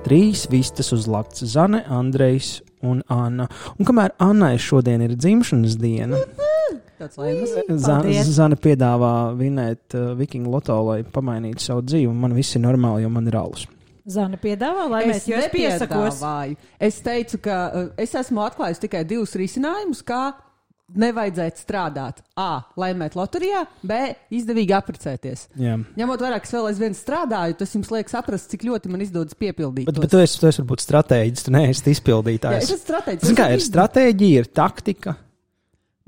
3 vistas uzlakts - Zane, Andrejs un Anna. Un kamēr Annai šodien ir dzimšanas diena, Zane piedāvā vinēt Vikingu loto, lai pamainītu savu dzīvi. Man viss ir normāli, jo man ir alus. Zana piedāvā, lai mēs jūs piesakos. Es teicu, ka es esmu atklājis tikai 2 risinājumus, kā nevajadzētu strādāt. A. Laimēt loterijā, B. Izdevīgi apprecēties. Jā. Ņemot vērā, ka es vēl aizvien strādāju, tas jums liek saprast, cik ļoti man izdodas piepildīt. Bet tu esi varbūt stratēģis, tu neesi izpildītājs. Jā, es esmu stratēģis. Zini, kā ir stratēģija, ir taktika.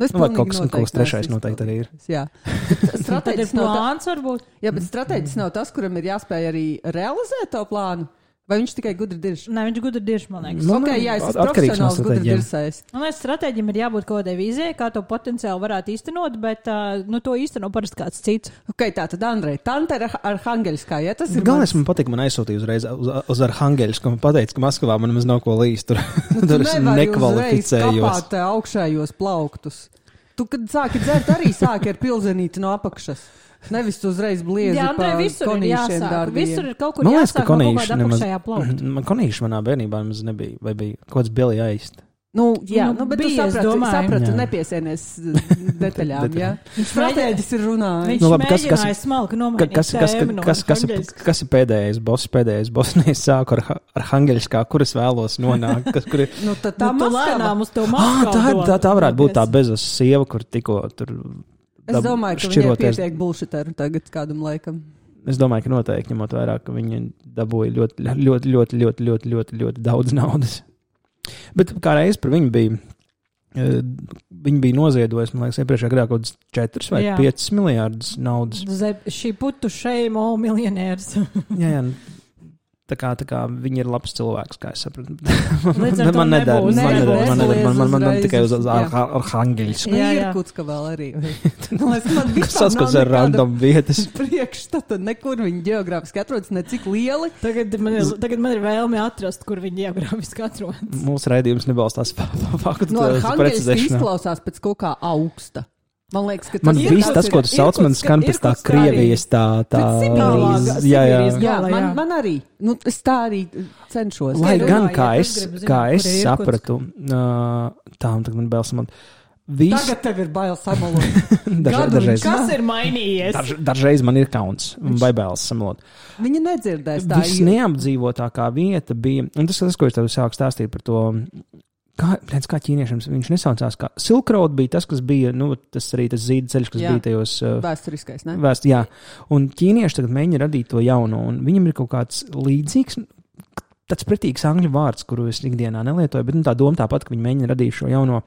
Vai kaut kas trešais noteikti arī ir. Jā. Stratēģis nav plāns varbūt. Jā, bet stratēģis nav tas, kuram ir jāspēj arī realizēt to plānu. Vai viņš tikai gudri dirž? Nē, viņš gudri dirž, man liekas. Jā, es esmu profesionāls gudri dirsējs. Man liekas, stratēģim ir jābūt kaut kādai vīzijai, kā to potenciāli varētu īstenot, bet to īsteno parasti kāds cits. Ok, tā tad Andrej, tante ir Arhangeļskā, ja tas ir galvenais man patīk, man aizsūtīja uzreiz uz Arhangeļsku, man pateica, ka Maskavā man maz nav ko līst, tur es nekvalificējos. Kapāt augšējos plauktus. Tu, kad sāki dzert, arī sāki ar pilzenīti no apakšas. Nevis uzreiz bliezi pa konīšiem dārgajiem. Visur ir kaut kur jāsāk no kaut kāda apakšējā plaukta. Man konīši manā bērnībā nemaz nebija, vai bija kaut kāds Billy Aist. Bet bija, tu sapratu, nepiesienies detaļām, jā. Stratēģis ir runājis. Viņš mēģināja smalki nomainīt tēmu no Arhangeļska. Kas ir pēdējais boss? Es sāku ar Arhangeļskā, kur es vēlos nonākt. Tā lēnām uz to Maskavu. Tā varētu būt tā bezas sieva, kur tikko tur... Es domāju, ka viņai pietiek bullshiteru tagad kādam laikam. Es domāju, ka noteikti ņemot vairāk, ka viņi dabūja ļoti daudz naudas. Bet kā reiz par viņu bija, viņi bija noziedojis, man liekas, iepriekšējā gadā kaut 4 vai 5 miljārdus naudas. She put to shame all millionaires. Jā. Tā kā viņi ir labs cilvēks, kā es sapratu. Man nedara tikai uz Arhangeļsku. Irkutska vēl arī. Kas saskos ar random vietas? Priekšstata, nekur viņi geogrāfiski atrodas, necik lieli. Tagad man ir vēlme atrast, kur viņi geogrāfiski atrodas. Mūsu raidījums nebalstās faktu Arhangeļska izklausās pēc kaut kā augsta. Man liekas, ka tas viss tas, ko tu sauc, man skan pēc tā Krievijas tā. Jā, man arī. Es tā arī cenšos. Lai gan, kā es sapratu, tagad man bail samalot. Tagad ir bail samalot. Dažreiz. Kas ir mainījies? Dažreiz man ir kauns vai bailes samalot. Viņa nedzirdēs tā. Viss neapdzīvotākā vieta bija, un tas, ko es tev sāku stāstīt par to, kā ķīniešiem viņš nesaucās, kā Silk Road bija tas, kas bija, tas arī tas zīda ceļš, kas bija tajos... Vēsturiskais, ne? Jā, un ķīnieši tagad mēģina radīt to jauno, un viņam ir kaut kāds līdzīgs, tāds pretīgs angļu vārds, kuru es ikdienā nelietoju, bet tā doma tāpat, ka viņi mēģina radīt šo jauno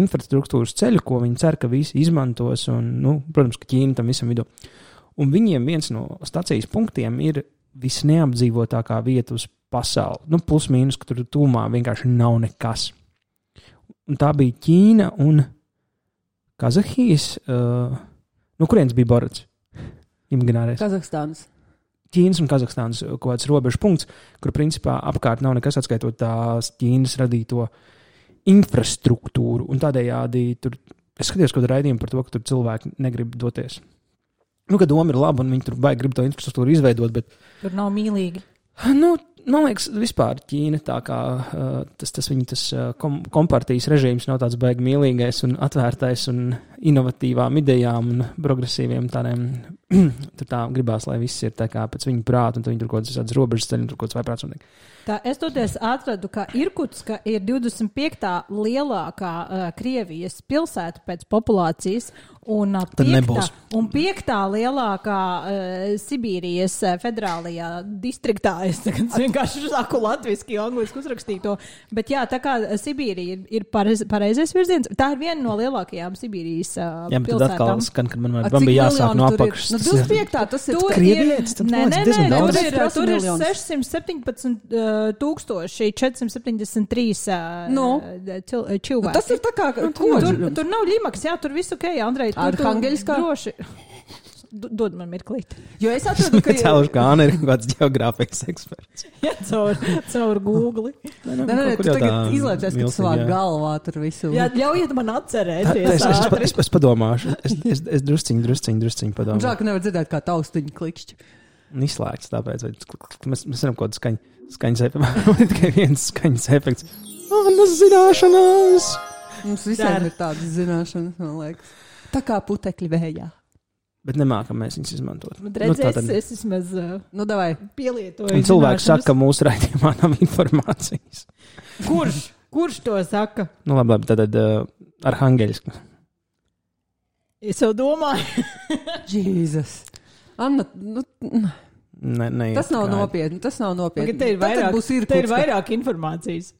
infrastruktūras ceļu, ko viņi cer, ka visi izmantos, un, protams, ka Ķīna tam visam vidu. Un viņiem viens no stacijas punktiem ir visneapdzīvotākā vieta uz pasauli. Plus mīnus, ka tur tūmā vienkārši nav nekas. Un tā bija Ķīna un Kazahijas. Kurienes bija Borats? Imaginārēs. Kazahstānas. Ķīnas un Kazahstānas kaut kāds robežu punkts, kur principā apkārt nav nekas atskaitot tās Ķīnas radīto infrastruktūru. Un tādējādi tur, es skatījos kaut kādu raidījumu par to, ka tur cilvēki negrib doties. Ka doma ir laba un viņi tur baigi grib to infrastruktūru izveidot, bet... Tur nav mīlīgi. Man liekas, vispār Ķīna tā kā tas kompartijas režīms nav tāds baigi mīlīgais un atvērtais un inovatīvām idejām un progresīviem tādiem. Tur tā gribās, lai viss ir tā kā pēc viņu prāta un viņi tur kaut kādas robežas ceļ un tur kaut kāds vaiprāts un tā. Tā, es toties atradu, ka Irkutska ir 25. lielākā Krievijas pilsēta pēc populācijas un 5. lielākā Sibīrijas federālajā distriktā. Es vienkārši saku latviski, angliski uzrakstīto. Bet jā, tā kā Sibīrija ir pareizais virziens, tā ir viena no lielākajām Sibīrijas pilsētām. Jā, bet tad atkal skan, kad man bija jāsāk no apakšas. 25. tas ir Krievijas, tur ir 617 473 cilvēki. Tas ir tā kā tur nav ļimaks, jā, tur visu ok, Andrej, Arhangeļskā droši. Dod man mirklīt. Jo es atradu, ka Cēluši kā Anna ir kāds geogrāfijas eksperts. Jā, caur Google. Nē, tu tagad izlaicies, ka savā galvā tur visu. Jā, ļaujiet man atcerēties. Es padomāšu. Es drusciņi padomāšu. Žēl, ka nevar dzirdēt kā taustiņu klikšķi. izslēgts, tāpēc mēs varam kaut kādu skaņas efektu. Tikai viens skaņas efekts. Annas zināšanas! Mums visiem ir tādas zināšanas, man liekas. Tā kā putekļi vējā. Bet nemākam mēs viņus izmantot. Es vismaz pielietoju. Un cilvēki saka, ka mūsu raidījumā nav informācijas. Kurš to saka? Nu labi, tad arhangeļiski. Es jau domāju. Jēzus. Anna, ne, tas nav nopietni. Te ir vairāk informācijas.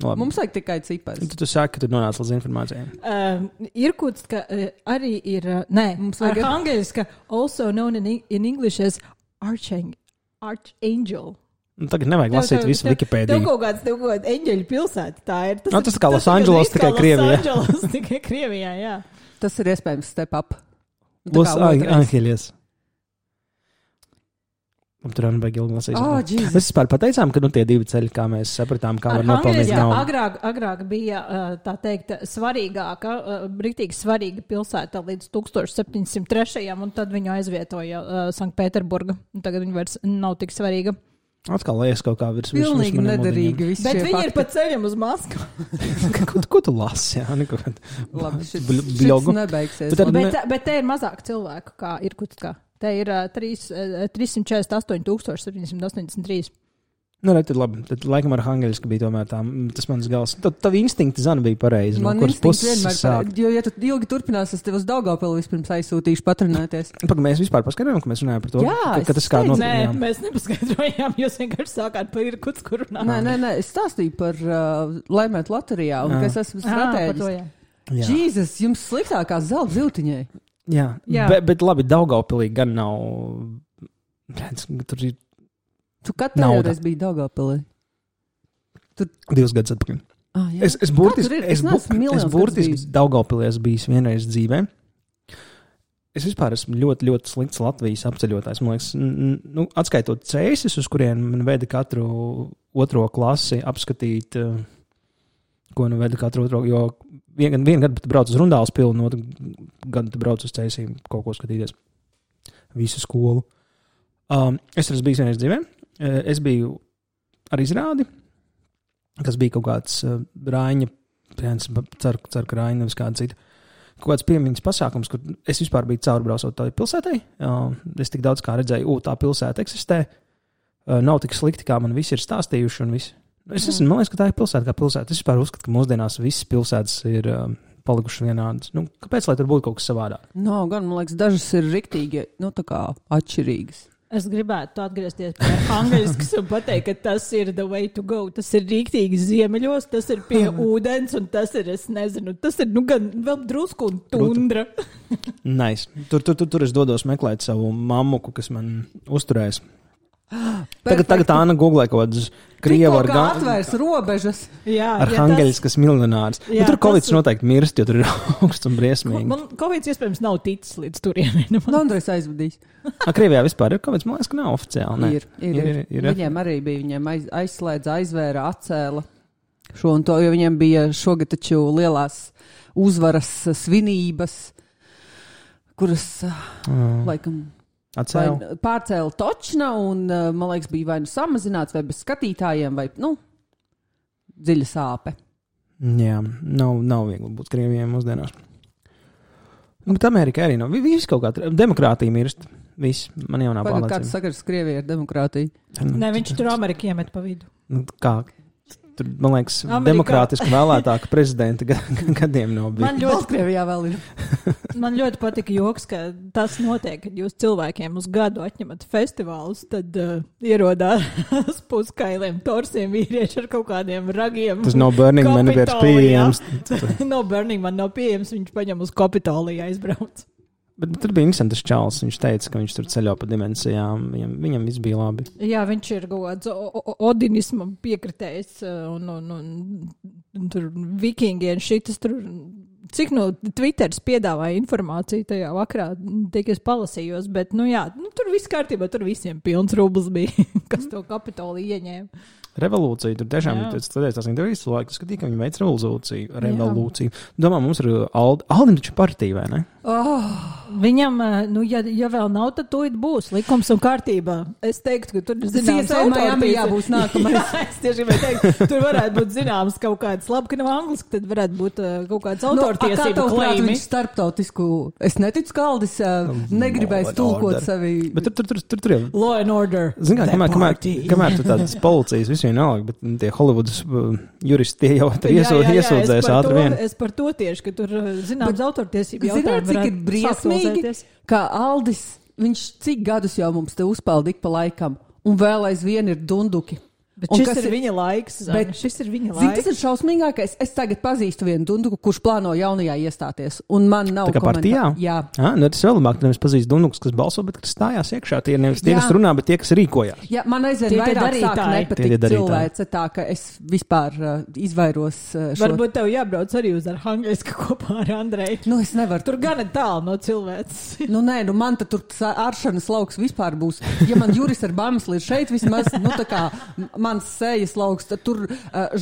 Labi. Mums vajag tikai cipars. Tu saki, ka tu nonāc līdz informācijai. Irkutska arī ir, Arhangeļska, also known in English as Archangel. Tagad nevajag lasīt visu Wikipēdiju. Tev kaut kāds eņģeļu pilsēta tā ir. Tas kā Los Angeles, tikai Krievijā. Los Angeles, tikai Krievijā, jā. Tas ir iespējams step up. Los Angeles. Tur jau nebija ilgi lasīt. Mēs vispār pateicām, ka tie divi ceļi, kā mēs sapratām, kā var nopelnīt naudu. Agrāk bija, tā teikt, svarīgāka, riktīgi svarīga pilsēta līdz 1703. Un tad viņu aizvietoja Sanktpēterburga. Tagad viņa vairs nav tik svarīga. Atkal liekas kaut kā virs visu. Pilnīgi nederīgi. Bet viņi ir pa ceļam uz Maskavu. Ko tu lasi? Jā, labi, šis nebeigsies. Bet te ir mazāk cilvēku kā Irkutskā. Te ir 348 783. Nu, tad labi. Tad laikam Arhangeļska bija tomēr tas mans gals. Tavi instinkti, Zana, bija pareizi. Man instinkti vienmēr pareizi. Jo, ja tu ilgi turpinās, es tev uz Daugavpili vispirms aizsūtīšu patrenēties. Mēs vispār paskaidrojām, ka mēs runājam par to. Jā, ka tas kā Nē, mēs nepaskaidrojām. Jūs vienkārši sākāt par Irkutsku runāt. Nē. Es stāstīju par laimēt loterijā un ka es esmu stratēģis. Jēzus, jums sliktākā zelta ziltiņai. Jā. Bet labi, Daugavpilī gan nav. Tur ir. Tu katru reizi biji Daugavpilī? 2 gadus atpakaļ. Es burtiski Daugavpilī esmu bijis vienreiz dzīvē. Es vispār esmu ļoti, ļoti slikts Latvijas apceļotājs. Man liekas, atskaitot cēsis, uz kuriem man veda katru 2. klasi apskatīt, ko nu veda katru 2. Jo vienu gadu brauc uz Rundāles pili, un otru gadu brauc uz cēsīm kaut ko skatīties. Visu skolu. Es esmu bijis vienreiz dzīvē. Es biju ar izrādi, kas bija kaut kāds Raiņa, ceru, ka Raiņa nevis kāda cita, kaut kāds piemiņas pasākums, kur es vispār biju caurbraucot tai pilsētai. Es tik daudz kā redzēju, tā pilsēta eksistē, nav tik slikti, kā man visi ir stāstījuši un visi. Man liekas, ka tā ir pilsēta kā pilsēta. Es vispār uzskatu, ka mūsdienās visas pilsētas ir palikušas vienādas. Kāpēc, lai tur būtu kaut kas savādāk? Gan, man liekas, dažas ir riktīgi, tā kā atšķirīgas. Es gribētu atgriezties pie Arhangeļskas un pateikt, ka tas ir the way to go. Tas ir rīktīgi ziemeļos, tas ir pie ūdens, un tas ir, es nezinu, tas ir, gan vēl drusku un tundra. Nice. Tur es dodos meklēt savu mammuku, kas man uzturēs. Tagad Anna googlē kaut kādas Krievu ar atvērs robežas. Arhangeļskas miljonārs. Tur Kovids noteikti mirst, jo tur ir augsts un briesmīgi. Man Kovids iespējams nav ticis līdz turienei. Andrejs aizvadīs. Krievijā vispār ir Kovids, man liekas, ka nav oficiāli. Ir. Viņiem arī bija, viņiem aizslēdza, aizvēra, atcēla šo un to, jo viņiem bija šogad taču lielās uzvaras svinības, kuras laikam pārcēla točna un, man liekas, bija vai nu samazināts, vai bez skatītājiem, vai, dziļa sāpe. Jā, nav viegli būt Krievijiem mūsdienās. Bet Amerika arī nav. Viss kaut kā demokrātija mirst. Viss. Man jau nav pārliecība. Kāds sakars Krievija ar demokrātiju? Nē, viņš tur Ameriku iemet pa vidu. Kā? Tur, man liekas, demokrātiski vēlētāka prezidenta gadiem nav bijis. Krievijā vēl ir. Man ļoti patika joks, ka tas notiek, kad jūs cilvēkiem uz gadu atņemat festivālus, tad ierodās puskailiem torsiem vīrieši ar kaut kādiem ragiem. Tas nav Burning Man vairs pieejams. No Burning Man nav pieejams, viņš paņem uz Kapitoliju aizbrauc. Bet tur bija interesants čāls. Viņš teica, ka viņš tur ceļo pa dimensijām. Viņam viss bija labi. Jā, viņš ir kaut kāds odinismam piekritējis un tur vikingiem šitas tur. Cik Twitteris piedāvāja informāciju tajā vakarā, tiek es palasījos, bet, tur viss kārtībā, tur visiem pilns rublis bija, kas to Kapitoliju ieņēma. Revolūcija, tur tiešām ir tās intervijas cilvēki, skatīja, ka viņi veic revolūciju. Domā, mums ir Aldim taču partija, vai ne? Viņam, ja vēl nav, tad tūlīt būs likums un kārtībā. Es teiktu, ka tur ir zināms autortiesības. Jābūs nākamais. Jā, es tieši gribēju teikt, tur varētu būt zināms kaut kāds, labi, ka nav angliski, tad varētu būt kaut kāds autortiesību klājumi. Viņš starptautisku, es neticu, ka Aldis negribēs tulkot sevi. Bet tur jau. Law and order. Zin kā, kamēr tu tādas policijas visu vienalga, bet tie Hollywoodas juristi tie jau iesūdzēs ātri vien. Es par to tieši, ka tur zināms autortiesību jautājumi ir briesmīgi, ka Aldis, viņš cik gadus jau mums te uzpeld ik pa laikam, un vēl aizvien ir dunduki. Bet šis ir viņa laiks. Šis ir viņa laiks. Tas ir šausmīgākais. Es tagad pazīstu vienu dunduku, kurš plāno jaunajā iestāties, un man nav komentāru. Tā kā partijā? Jā. Tas vēl labāk, nevis pazīst dundukus, kas balso, bet kas stājās iekšā. Tie ir nevis tie, kas runā, bet tie, kas rīkojās. Jā, man aizvien vairāk sāk nepatikt cilvēce, tā ka es vispār izvairos Varbūt tev jābrauc arī uz Arhangelska kopā ar Andreju. Es nevaru. Tur gan ir tālu no cilvēces. Man tad tur āršanas lauks vispār būs. Ja man Juris ar Bamsli ir šeit vismaz, tā kā mans sejas lauks, tad tur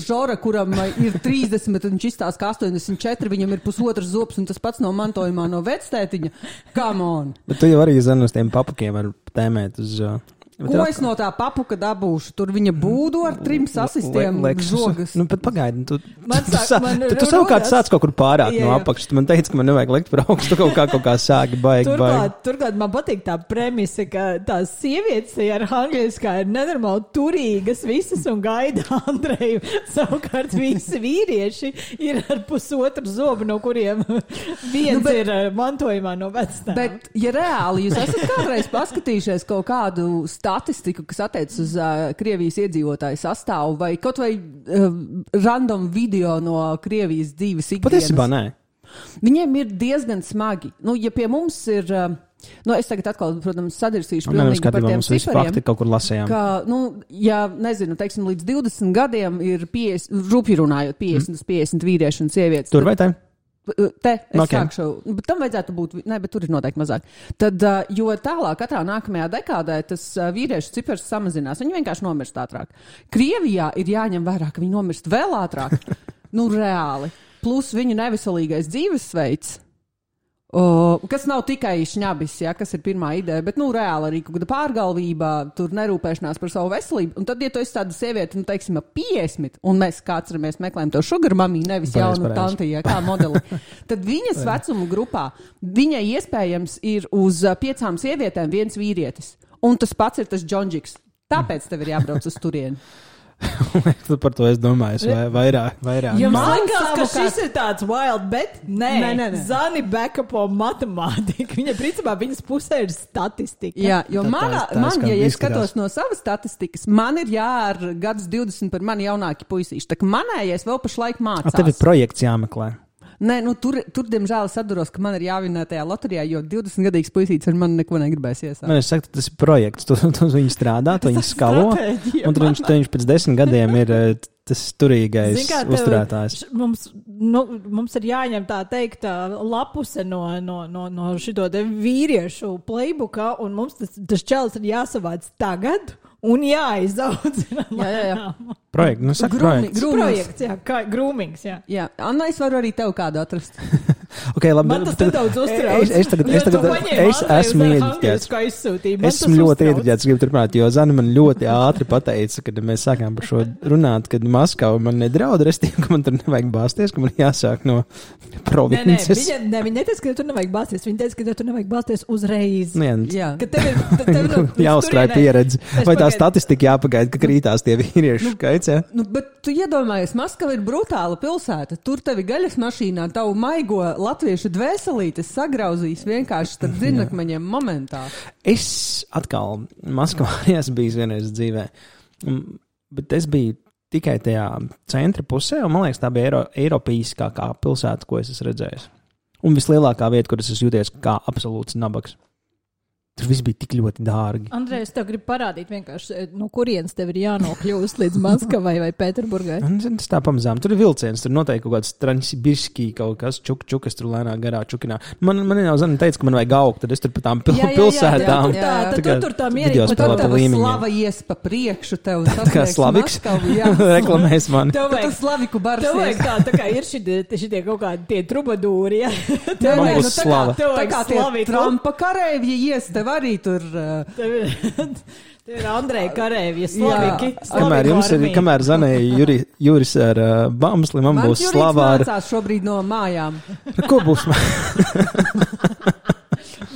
Žora, kuram ir 30, un viņš izstāsta, ka 84, viņam ir pusotrs zobs, un tas pats no mantojumā no vectētiņa. Come on! Bet tu jau arī zini uz tiem papukiem var tēmēt uz... Ko es no tā papuka dabūšu? Tur viņa būdu ar 3 sasistiem žogas. Bet pagaidi, tu savukārt sāc kaut kur pārāk no apakšas. Tu man teici, ka man nevajag likt par augstu, kaut kā sāki baigi. Turklāt man patīk tā premise, ka tās sievietes ar Arhangelskā ir nenormāli turīgas visas un gaida Andreju. Savukārt visi vīrieši ir ar pusotru zobu, no kuriem viens ir mantojumā no vectēva. Bet, ja reāli jūs esat kādreiz paskatījušies kaut kādu statistiku, kas attiec uz Krievijas iedzīvotāju sastāvu, vai kaut vai random video no Krievijas dzīves ikdienas. Patiesībā nē. Viņiem ir diezgan smagi. Ja pie mums ir... es tagad atkal, protams, sadirsīšu pilnīgi par tiem cipariem, kaut kur lasējām. Ka, teiksim, līdz 20 gadiem ir 50, rupji runājot, 50 vīrieši un sievietes. Tur vai te? Sākšu, bet tam vajadzētu būt, bet tur ir noteikti mazāk. Tad, jo tālāk katrā nākamajā dekādē tas vīriešu cipars samazinās, viņi vienkārši nomirst ātrāk. Krievijā ir jāņem vērā, ka viņi nomirst vēl ātrāk, reāli. Plus viņu neveselīgais dzīvesveids, kas nav tikai šņabis, kas ir pirmā ideja, bet, reāli arī kaut kāda pārgalvība, tur nerūpēšanās par savu veselību. Un tad, ja tu esi tāda sieviete, teiksim, 50, un mēs atceramies meklējam to sugar mamī, nevis jaunu tanti, kā modeli, tad viņas vecuma grupā, viņai iespējams ir uz 5 sievietēm 1 vīrietis. Un tas pats ir tas džondžiks. Tāpēc tev ir jābrauc uz turieni. Par to es domāju, vairāk. Ja man liekas, ka šis ir tāds wild bet, nē. Zani backupo matemātika. Viņa principā viņas pusē ir statistika. Jā, jo ja es skatos no savas statistikas, man ir ar gadus 20 par mani jaunāki puisīši. Tā kā manējais vēl pašlaik mācās. Tev ir projekts jāmeklē. Nē, tur diemžēl es atduros, ka man ir jāvinē tajā loterijā, jo 20-gadīgs puisītis ar mani neko negribēs iesākt. Es saku, tas ir projekts, tu viņi strādā, tu viņi skalo, un tad viņš pēc 10 gadiem ir tas turīgais uzturētājs. Mums ir jāņem tā teikt lapuse no šito te vīriešu playbooka, un mums tas čels ir jāsavāc tagad. Un jāizaudz. Jā. Projekts, saka projekts. Projekts, grūmings, jā. Jā, Anna, es varu arī tev kādu atrast. Okay, labi, man tas nedaudz uztrauc. Es esmu iedraģēts. Esmu ļoti iedraģēts, gribu turpināt, jo Zana man ļoti ātri pateica, kad mēs sākām par šo runāt, kad Maskava man nedraud, restīvi, ka man tur nevajag bāsties, ka man jāsāk no provinces. Nē, viņa neteica, ka tur nevajag bāsties, viņa teica, ka tur nevajag bāsties uzreiz. Jā. Ka tev jāuzkrāj pieredzi. Vai tā statistika jāpagaida, ka krītās tie vīriešu skaits, jā? Bet tu iedomājies, Maskava ir brutāla pilsēta. Tur tevi gaļas mašīnā, tavu maigo latviešu dvēselītes sagrauzīs vienkārši starp dzinakmeņiem momentā. Es atkal Maskavā esmu bijis vienreiz dzīvē, bet es biju tikai tajā centra pusē, un man liekas, tā bija eiropeiskākā pilsēta, ko es esmu redzējis. Un vislielākā vieta, kur es esmu jūties kā absolūts nabaks. Tur viss bija tik ļoti dārgi. Andrej, es tev gribu parādīt vienkārši, no kurienes tev ir jānokļūst līdz Maskavai vai Pēterburgai. Tas tā pamazām. Tur ir vilciens, tur noteikti kaut kāds Transsibirski, kaut kas čukas tur lēnā garā čukinā. Man jau Zana teica, ka man vajag augt, tad es tur pa tām pilsētām. Tur tā mierīgi. Tad tev slava ies pa priekšu tev. Tā kā Slaviks reklamēs mani. Tev vajag Slaviku bars. Tev vajag tā kā ir šitie kaut kādi tie trubadūri, ja? Man būs slava. Tā kā tie Trumpa karēvji ies, tev arī tur... Tev ir Andreja karēvji, Slaviki. Kamēr Zanēja Juris ar Bamsli, man būs slava ar... Mans Jurits mācās šobrīd no mājām. Ko būs?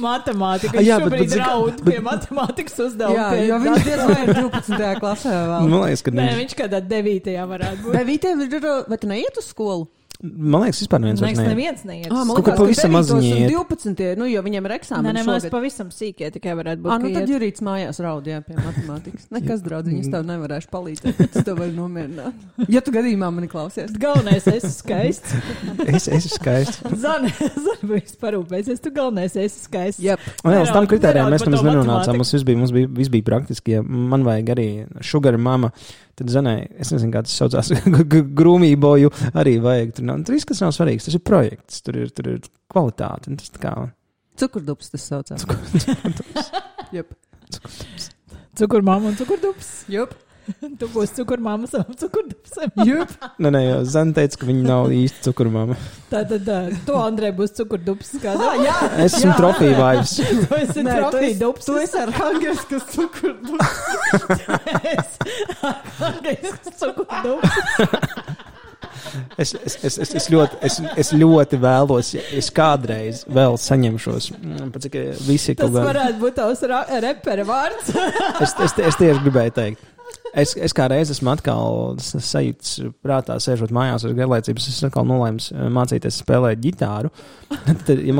Matemātika. Šobrīd raud pie matemātikas uzdevuma. Jā, jo viņš diez vai ir 12. klasē vēl. Man liekas, ka Nē, viņš kādā 9. varētu būt. 9. vai tu neiet uz skolu? Man liekas, vispār neviens neiet. Man liekas, pavisam maziņiet. 12. Jo viņiem ir eksāmeni šogad. Nē, pavisam sīkie tikai varētu būt. Tad Jurīts mājās raud, pie matemātikas. Nekas, draudziņas, tev nevarēšu palīdzēt, bet es tev varu nomierināt. Ja tu gadījumā mani klausies. Galvenais, esi skaists. Es esmu skaists. Zana viss parūpēsies, tu galvenais, esi skaists. Jep. Uz tam kritērijām mēs nemaz nenonācām. Mums viss bija praktiski. Ja man vajag arī sugar mama. Tad Zanai, es nezinu, kā tas saucās, grūmīboju arī vajag. Tur viss, kas nav svarīgs, tas ir projekts, tur ir kvalitāte. Tas tā kā... Cukurdups tas saucās. Cukurdups. Jep. Cukurmama un cukurdups. Jep. Tu būsi cukurmama savam cukurdupsam. Jep. Nē, jo Zana teica, ka viņa nav īsti cukurmama. Tātad, tu, Andrej, būs cukurdups kādā. Jā. Es esmu trofija vairs. Tu esi trofija dups. Tu esi arhangelskas cukurdups. Tu esi arhangelskas cukurdups. Es ļoti vēlos, ja es kādreiz vēl saņemšos. Cik visi tas varētu būt tavs repera vārds. Es tieši gribēju teikt. Es kā reiz esmu atkal sajūts prātā, sēžot mājās ar garlaicības, es atkal nolēmu mācīties spēlēt ģitāru. Tad, ja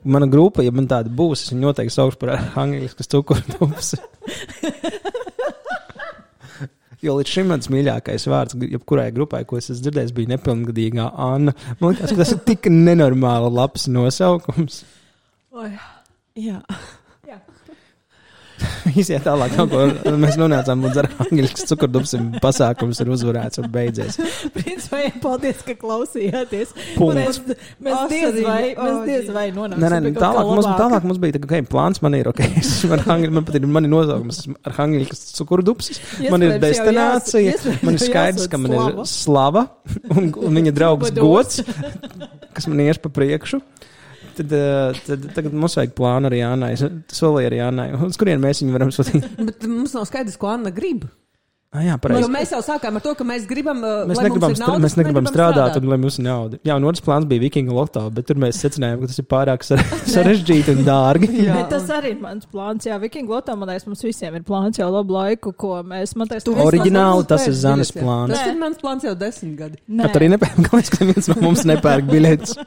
mana grupa, ja man tāda būs, es viņu noteikti saukšu par arhangelskas cukurdups. Jo līdz šim mans mīļākais vārds, jebkurai grupai, ko es esmu dzirdējis, bija nepilngadīgā Anna. Man liekas, ka tas ir tik nenormāli labs nosaukums. Jā. Iziet tālāk, mēs nonācām līdz arhangelskas cukurdupsim, pasākums ir uzvarēts un beidzies. Principā, paldies, ka klausījāties. Punkts. Mēs diez vai nonāksim pie kaut kā labāk. Tālāk mums bija, plāns man ir, man pat ir mani nosaukums arhangelskas cukurdupsis, man ir destinācija, man ir skaidrs, ka man ir slava un viņa draugs gods, kas man ies pa priekšu. Tad tagad mums vajag plānu arī Annai. Solīju arī Annai. Uz kurien mēs viņu varam sūtīt? Bet mums nav skaidrs, ko Anna grib. Jā, pareizi. Jo mēs jau sākām ar to, ka mēs gribam, mēs negribam strādāt un lai mums ir nauda. Jā, un otrs plāns bija Vikinga loto, bet tur mēs secinājām, ka tas ir pārāk sarežģīti un dārgi. Bet tas arī ir mans plāns. Jā, Vikinga loto, man liekas, mums visiem ir plāns jau labu laiku, ko mēs, man liekas, oriģināli tas ir Zanes plāns. Tas ir mans plāns jau 10 gadi. Tur arī nepērk, ka neviens no mums nepērk biļetes.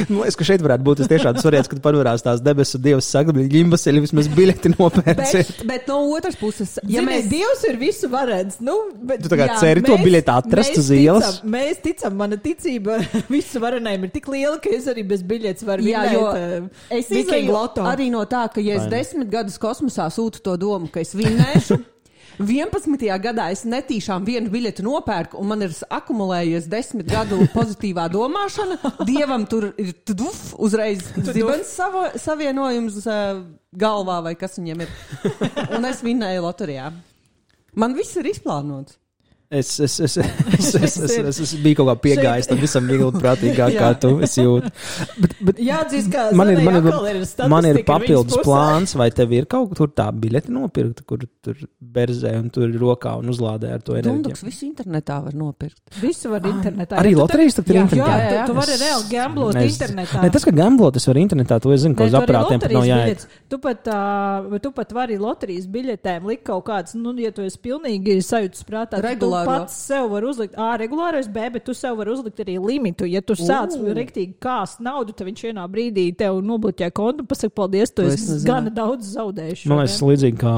Man liekas, ka šeit varētu būt tas tiešām svarīgs, kad parvarās tās debesu Dievs saka, Ģimbaseļi vismaz biļeti nopērciet. Bet no otras puses, ja Dievs ir visu varēdz. Tu tā kā ceri to biļeti atrast uz ielas? Mēs ticam, mana ticība visu varenēm ir tik liela, ka es arī bez biļetes varu vinēt Vikinga loto. Arī no tā, ka ja es 10 gadus kosmosā sūtu to domu, ka es vinnēšu, 11. gadā es netīšām vienu biļeti nopērku, un man ir akumulējies 10 gadu pozitīvā domāšana. Dievam tur ir uzreiz zibens savienojums galvā, vai kas viņiem ir. Un es vinnēju loterijā. Man viss ir izplānots. Es biju kaut kā piegājis tam visam vieglprātīgāk, kā tu, es jūtu. Bet jāatzīst, ka man ir papildus plāns, vai tev ir kaut kur tā biļete nopirkta, kur tur berzē un tur rokā un uzlādē ar to enerģiju? Dunduks visu internetā var nopirkt. Visu var internetā. Arī loterijas tad ir internetā? Jā, tu vari reāli gamblot internetā. Ne, tas, ka gamblot, es varu internetā, to es zinu, ka uz aparātiem pat nav jāiet. Tu pat vari loterijas biļetēm likt kaut kāds, ja tu esi pilnīgi sajūtas prātā, tu pats sev var uzlikt regulārais B, bet tu sev var uzlikt arī limitu. Ja tu sāc riktīgi kāst naudu, tad viņš vienā brīdī tev nobloķē kontu, pasaka paldies, tu esi gana daudz zaudējuši. Man liekas, līdzīgi kā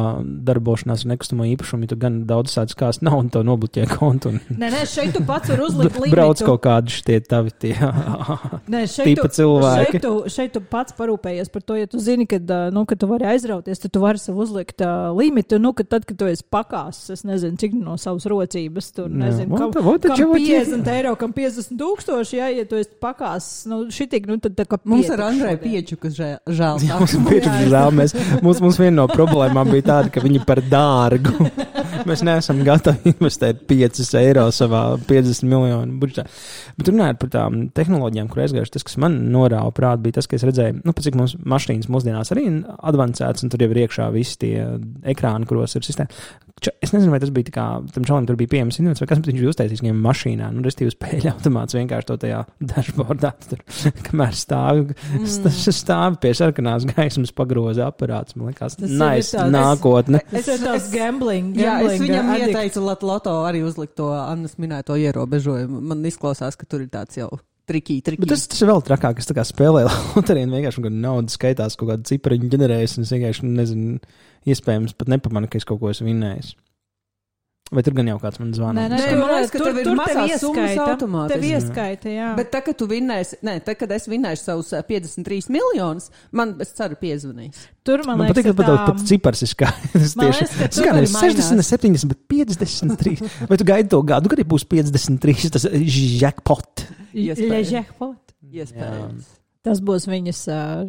darbošanās ar nekustamo īpašumu, ja tu gan daudz sāc kāst naudu, tev nobloķē kontu. Nē, šeit tu pats var uzlikt limitu. Brauc kaut kādi šitie tavi tie tipa cilvēki. Šeit tu pats parūpējies par to, ja tu zini, ka tu vari aizrauties, tad tu vari sev uzlikt limitu, ka tad, kad tu esi pakāsts, es nezinu, cik no savas rocības, tur nezinu, kam 50 eiro, kam 50 000, ja tu esi pakāsts, šitik, tad tā kā mums ar Andreju Piečuku žēl. Jā, mums Piečuku žēl. Mums viena no problēmām bija tāda, ka viņi par dārgu. Mēs neesam gatavi investēt 5 eiro savā 50 miljonu budžetā. Bet runājot par tām tehnoloģijām, kur aizgājuši, tas, kas man norāva prāt, bija tas, ka es redzēju, cik mums mašīnas mūsdienās arī advancētas, un tur jau ir iekšā visi tie ekrāni, kuros ir sistēma. Es nezinu, vai tas bija tā kā, tam čalam tur bija pieejams internets, vai kas viņš bija uztaisījis viņiem mašīnā, restīvi spēļu automāts vienkārši to tajā dashboardā, tur, kamēr stāvi pie sarkanās gaismas pagroza aparāts, man liekas, nākotne. Es tās gambling. Jā, es viņam ieteicu loto arī uzlikt to Annas minēto ierobežojumu. Man izklausās, ka tur ir tāds jau triki. Bet tas ir vēl trakāk, es tā kā spēlēju loteriju, vienkārši un naudu skaitās kaut kādu cipariņu ģenerējis, un es vienkārši nezinu, iespējams pat nepamanu, ka es kaut ko esmu vinnējis. Vai tur gan jau kāds man zvana? Nē, tur ir mazās summas automātiski. Tev ieskaita, jā. Bet tā, kad tu vinnēsi, kad es vinnēšu savus 53 miljonus, man, es ceru, piezvanīs. Tur, man liekas, pat cipars ir skaidrs. Tieši. Nevis 60, 70, bet 53. Vai tu gaidi to gadu, kad būs 53, tas jackpot? Jackpot. Iespējams. Tas būs viņas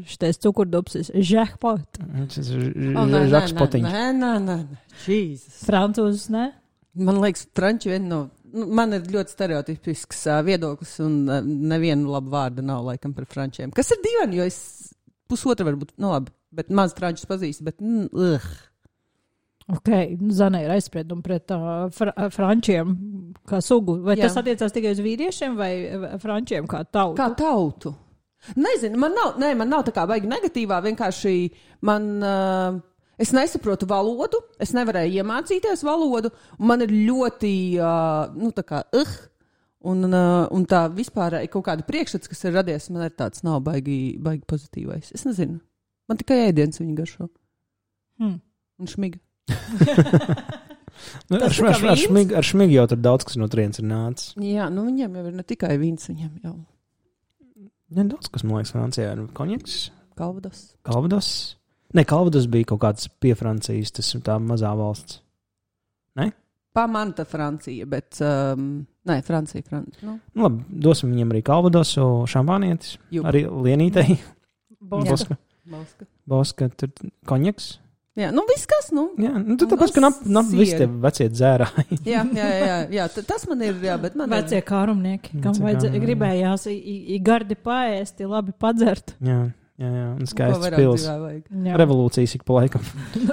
šitais cukurdupsis. Jackpot. Jackpotiņš. Nē. Jesus. Francūzes, ne? Man liekas, franči man ir ļoti stereotipisks viedoklis, un nevienu labu vārdu nav laikam par frančiem. Kas ir dīvaini, jo es pusotra varbūt, labi, bet maz frančus pazīstu, bet Ok, Zana ir aizspriedumi pret frančiem kā sugu. Vai tas attiecās tikai uz vīriešiem vai frančiem kā tautu? Kā tautu. Nezinu, man nav tā kā baigi negatīvā, vienkārši es nesaprotu valodu, es nevarēju iemācīties valodu, un man ir ļoti, tā kā, un tā vispār kaut kāda priekšstats, kas ir radies, man ir tāds nav baigi pozitīvais. Es nezinu, man tikai ēdiens viņa garšo. Un šmiga. Ar šmigu jau tur daudz, kas no turienes ir nācis. Jā, viņiem jau ir ne tikai vīns, viņiem jau. Jā, daudz, kas, man liekas, Francijā ir konjaks. Kalvados. Ne, Kalvados bija kaut kāds pie Francijas, tas ir tā mazā valsts. Ne? Pamanta Francija, bet, Francija. Nu. Labi, dosim viņiem arī Kalvadosu, šampānietis, arī Lienītei. Boska, tur konjaks. Jā, viss kas, Jā, tu tāpēc, ka visi tie vecie dzērāji. jā, tas man ir, jā, bet man vecie kārumnieki, kam gribējās gardi paēst, labi padzert. Jā, un skaists pils. Revolūcijas ik pa laikam.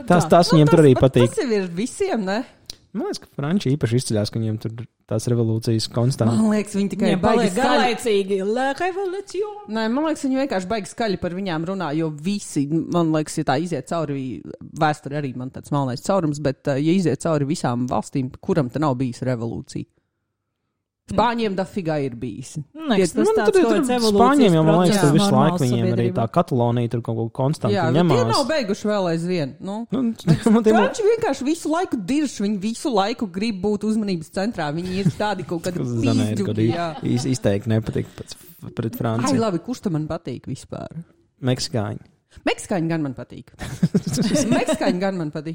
Tās viņiem tur arī patīk. Tas jau ir visiem, ne? Man liekas, ka Franči īpaši izceļās, ka viņiem tur tās revolūcijas konstanti. Man liekas, viņi tikai baigi garlaicīgi. La revolūcija. Nē, man liekas, viņi vienkārši baigi skaļi par viņām runā, jo visi, man liekas, ja tā iziet cauri, vēsturi arī man tāds malnais caurums, bet ja iziet cauri visām valstīm, kuram te nav bijis revolūcija. Spāņiem dafigā ir bijis. Spāņiem jau, man liekas, tur visu laiku viņiem arī tā Katalonija tur kaut ko konstanti ņemās. Jā, tie nav beiguši vēl aizvien. Franči vienkārši visu laiku dirž, viņi visu laiku grib būt uzmanības centrā. Viņi ir tādi kaut kādi pīzģuki. Izteikti nepatīk pret Franciju. Ai, labi, kurš tam man patīk vispār? Meksikāņi. Meksikāņi gan man patīk.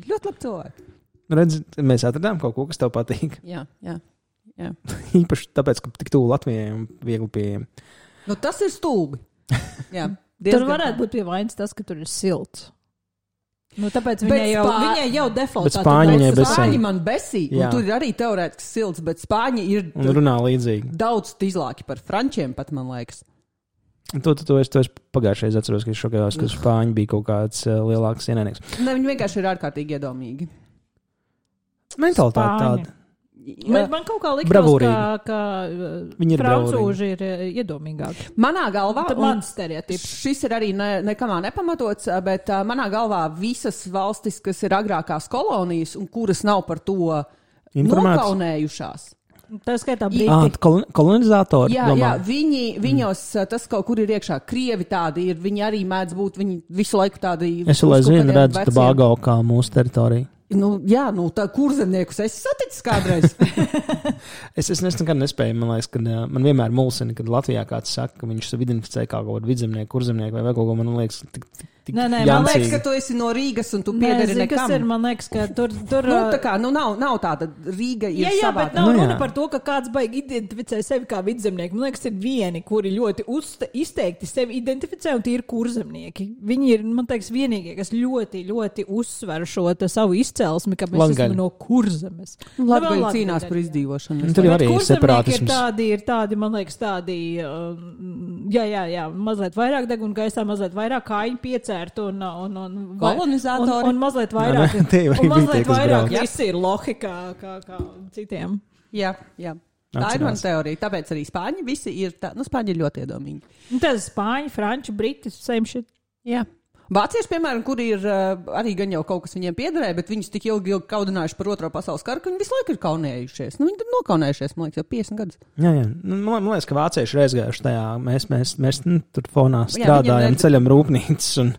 Ļoti labi cilvēki. Redz, mēs atradām kaut ko, kas tev patīk. Jā. Īpaši tāpēc, ka tik tuvu Latvijai un viegli pieejami. Tas ir stulbi. Jā, tur varētu būt pie vainas tas, ka tur ir silts. Tāpēc viņai jau defaultā. Spāņi man besī, un tur ir arī teorētiski silts, bet Spāņi ir un runā līdzīgi. Daudz tīzlāki par frančiem pat, man liekas. To es pagājušajā atceros, ka es šokējos, ka Spāņi bija kaut kāds lielāks ienaidnieks. Ne, viņi vienkārši ir ārkārtīgi iedomīgi. Mentalitāte tāda. Man kaut kā liktos, ka francūži ir iedomīgāki. Manā galvā, stereotips. Šis ir arī nekamā nepamatots, bet manā galvā visas valstis, kas ir agrākās kolonijas un kuras nav par to nokaunējušās, Tā skaitā brīti. Kolonizatori. Jā, viņos tas kaut kur ir iekšā. Krievi tādi ir, viņi arī mēdz būt, viņi visu laiku tādi. Es vēl aizvien redzu Tobago kā mūsu teritoriju. Tā kurzemniekus esi saticis kādreiz. es nekad nespēju, man liekas, ka man vienmēr mulsina, kad Latvijā kāds saka, ka viņš sev identificē kā kaut kādu vidzemnieku, kurzemnieku vai kaut ko, man liekas, tik man liekas, ka tu esi no Rīgas un tu piederi nekam. Man liekas, ka tur... nav tāda Rīga ir savā. Bet nav runa par to, ka kāds baigi identificē sevi kā vidzemnieku. Man liekas, ir vieni, kuri ļoti izteikti sevi identificē un tie ir kurzemnieki. Viņi ir, man liekas, vienīgie, kas ļoti, ļoti uzsver šo savu izcelsmi, ka mēs esam no kurzemes. Latgaļi cīnās par izdzīvošanu. Tur arī ir separātisms. Ir tādi, man liekas, mazliet vairāk deguna gaisā, mazliet vairāk kājiņu piecērt un kolonizatori. Un mazliet vairāk. Visi ir lohi kā citiem. Jā. Tā ir mana teorija. Tāpēc arī spāņi visi ir spāņi ir ļoti iedomīgi. Tas spāņi, franči, briti, same shit. Jā. Vācieši, piemēram, kuri ir arī gan jau kaut kas viņiem piederēja, bet viņus tik ilgi kaudinājuši par Otro pasaules karu, ka viņi visu laiku ir kaunējušies. Viņi ir nokaunējušies, man liekas, jau 50 gadus. Jā. Man liekas, ka vācieši ir aizgājuši tajā. Mēs tur fonā strādājam, ceļam rūpnīcas un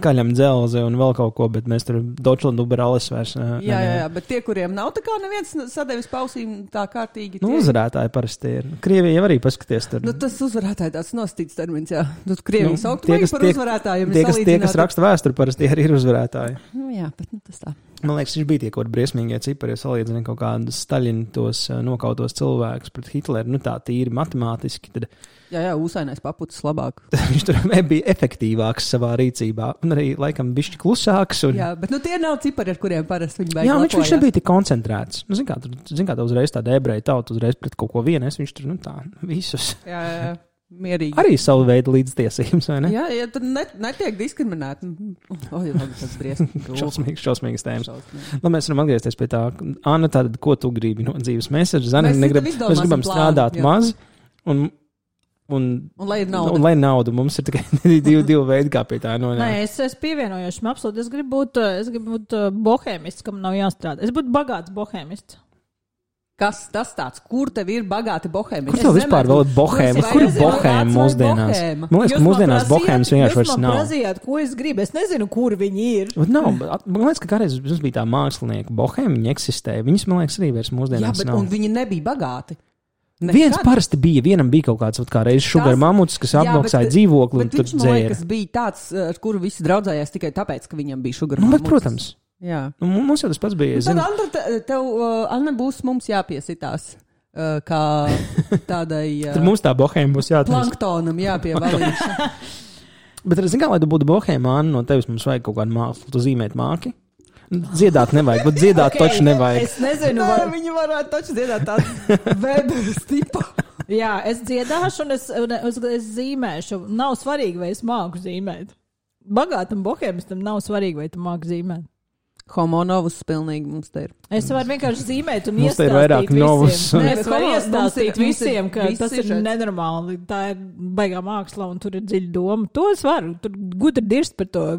kaļam dzelzi un vēl kaut ko, bet mēs tur Deutschland über alles vairs. Jā, bet tie, kuriem nav tā kā neviens sadevis pausīm tā kārtīgi. Uzvarētāji parasti ir. Krievija jau arī paskaties tur. Tas uzvarētāji tāds nostīts termins, jā. Krievija saukt vajag par uzvarētājiem. Kas raksta vēsturi, parasti arī ir uzvarētāji. Jā, bet tas tā. Man liekas, viņš bija tie kaut kādi briesmīgie cipari, ja salīdzina kaut kādus Staļina tos nokautos cilvēkus pret Hitleru, tā tīri matemātiski. Tad... Jā, ūsainais papucis labāk. Viņš tur bija efektīvāks savā rīcībā un arī laikam bišķi klusāks. Un... Jā, bet tie nav cipari, ar kuriem parasti viņi beig jā, viņš nebija tik koncentrēts. Zin kā, tā uzreiz tāda ebreja tauta uzreiz pret kaut ko vienais, viņš tur, tā, visus. Jā. Mierīgi. Arī savu veidu līdztiesības, vai ne? Jā, tad netiek diskriminēti. Tas briesmīgi. Šausmīgas tēmas. Mēs varam atgriezties pie tā. Anna, tātad, ko tu gribi no dzīves? Mēs gribam strādāt maz un lai ir nauda. Un lai nauda. Mums ir tikai divi veidi, kā pie tā nonākt. Nē, es pievienojos šim absolūti. Es gribu būt bohēmists, kam nav jāstrādā. Es būtu bagāts bohēmists. Kas tas tāds? Kur tev ir bagāti bohēmi? Kur tev vispār vēl ir bohēma? Kur ir bohēma mūsdienās? Man liekas, ka mūsdienās bohēmas vienkārši vairs nav. Jūs man prasījāt, ko es gribu. Es nezinu, kur viņi ir. Nav. Man liekas, ka kādreiz mums bija tā mākslinieka bohēma, viņi eksistēja. Viņas, man liekas, arī vairs mūsdienās nav. Un viņi nebija bagāti. Viens parasti bija, vienam bija kaut kāds kā reiz sugar mamuts, kas apmaksāja dzīvokli un tur dzēra. Bet viņš, man liekas, bija tāds, ar kuru visi draudzējās tikai tāpēc, ka viņam bija sugar mamuts. Bet, protams. Jā. Mums jau tas pats bija. Tad, Anna, būs mums jāpiesitās kā tādai... Tad mums tā bohēma būs jāatrast. Planktonam jāpievalīša. Bet, zin kā, lai tu būtu bohēma, Anna, no tevis mums vajag kaut kādu mākslu. Tu zīmēt māki? Dziedāt nevajag, bet dziedāt taču nevajag. Es nezinu, viņi varētu taču dziedāt tādu Weberas tipu. Jā, es dziedāšu un es zīmēšu. Nav svarīgi, vai es māku zīmēt. Bagātam bohēmistam nav svarīgi, vai tu māku zīmēt. Homo novus pilnīgi mums te ir. Es varu vienkārši zīmēt un mums iestāstīt visiem. Es varu iestāstīt visiem, ka tas ir nenormāli. Tā ir baigā māksla un tur ir dziļa doma. To es varu. Tur gudri dirst par to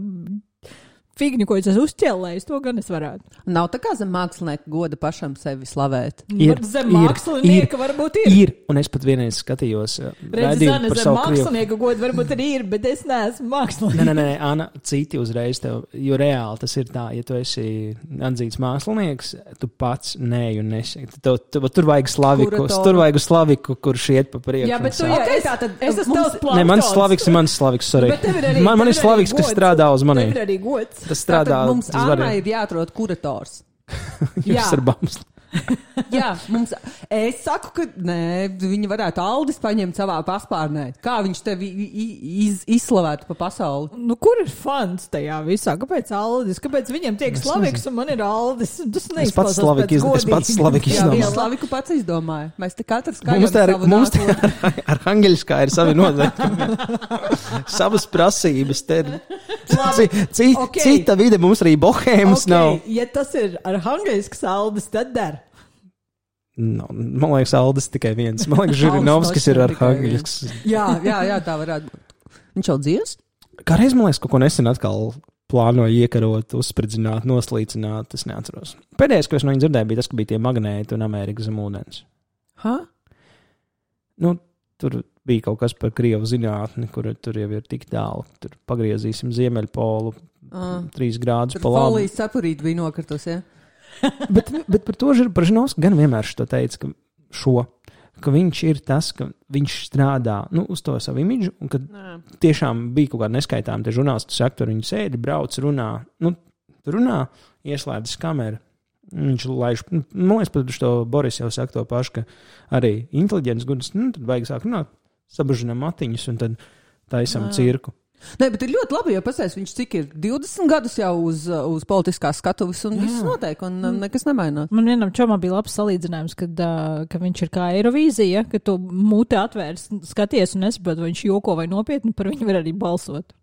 figņu, ko es esmu uzķēlējis. To gan es varētu. Nav tā kā zem mākslinieka goda pašam sevi slavēt. Zem mākslinieka varbūt ir. Ir. Un es pat vienreiz skatījos redzinu par savu mākslinieka godu varbūt arī ir, bet es neesmu mākslinieks. Nē, Anna, citi uzreiz tev, jo reāli tas ir tā, ja tu esi atzīts mākslinieks, tu pats nē un nesi. Tur vajag slaviku, kurš iet pa priekšu. Jā, bet tu es esmu tavs plankons. Nē, mans slaviks, sorry. Man ir slaviks, kas strādā uz manī. Tev ir arī gods. Tas strādā. Mums Annai ir jāatrod kurators. Jūs ar bamslu. Jā, es saku, ka nē, viņi varētu Aldis paņemt savā paspārnē. Kā viņš tevi izslavētu pa pasauli? Nu, kur ir fans tajā visā? Kāpēc Aldis? Kāpēc viņiem tiek slaviks un man ir Aldis? Tas neizklausās pēc godīgi. Es pats slavik izdomāju. Jā, slaviku pats izdomāju. Mēs te katrs kājam savu mums te ar Hangeļskā ir savi noteikumi. Savas prasības. Cita vide mums arī bohēmas nav. Ja tas ir ar Hangeļskas Aldis, tad der. No, man liekas, Aldis tikai viens. Man liekas, Žirinovskis ir ar Hangeļskas. Jā, tā varētu būt. Viņš jau dzies? Kā reiz, man liekas, kaut ko nesen atkal plānoja iekarot, uzspridzināt, noslīcināt. Es neatceros. Pēdējais, ko es no viņa dzirdēju, bija tas, ka bija tie magnēti un Amerika zem ūdens. Nu, tur bija kaut kas par krievu zinātni, kur tur jau ir tik tālu. Tur pagriezīsim ziemeļpolu 3 grādus pa labi. Polijas sapurīt bija nokartos, ja? bet par to Bražinovski gan vienmēr šo teica, ka viņš ir tas, ka viņš strādā uz to savu imidžu, un ka tiešām bija kaut kāda neskaitāma tie žurnālisti saka, tur viņi sēdi, brauc, runā, runā, ieslēdzas kameru. Viņš laiž, man liekas, pat to Boris jau saka to pašu, ka arī inteliģents gudas, tad vajag sāk runāt, sabažinām matiņus un tad taisam cirku. Nē, bet ir ļoti labi, jo pasēs viņš cik ir 20 gadus jau uz politiskās skatuves un viss notiek un nekas nemainās. Man vienam čomam bija labs salīdzinājums, ka viņš ir kā Eirovīzija, ka tu mute atvērs, skaties un nesaprot, vai viņš joko vai nopietni, par viņu var arī balsot.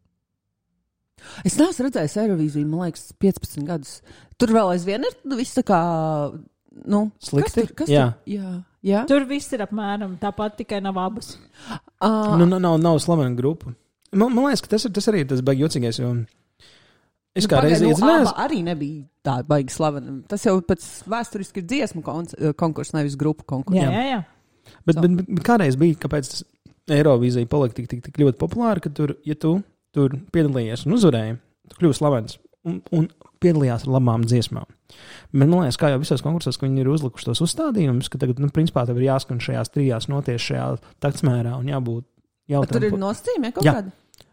Es neesmu redzējis Eirovīziju, man liekas, 15 gadus. Tur vēl aizvien ir viss tā kā, slikti? Kas Jā. Jā? Tur viss ir apmēram tāpat, tikai nav abas. Nav slavena grupa. Man liekas, ka tas arī tas baigi jocīgais, jo es kā reiz iedzinājos. Arī nebija tā baigi slavena. Tas jau pēc vēsturiski ir dziesmu konkurss, nevis grupu konkurss. Jā. Bet kādreiz bija, kāpēc tas Eirovīzija palika tik ļoti populāra, ka tur, ja tu tur piedalījies un uzvarēji, tu kļūsi slavens un piedalījās ar labām dziesmām. Bet man liekas, kā jau visos konkursos, ka viņi ir uzlikuši tos uzstādījumus, ka tagad, principā, tev ir jāskan šajās 3 noties šajā taktsmērā un jābūt jautājumu. Tur ir nosacījumi, kaut kādi?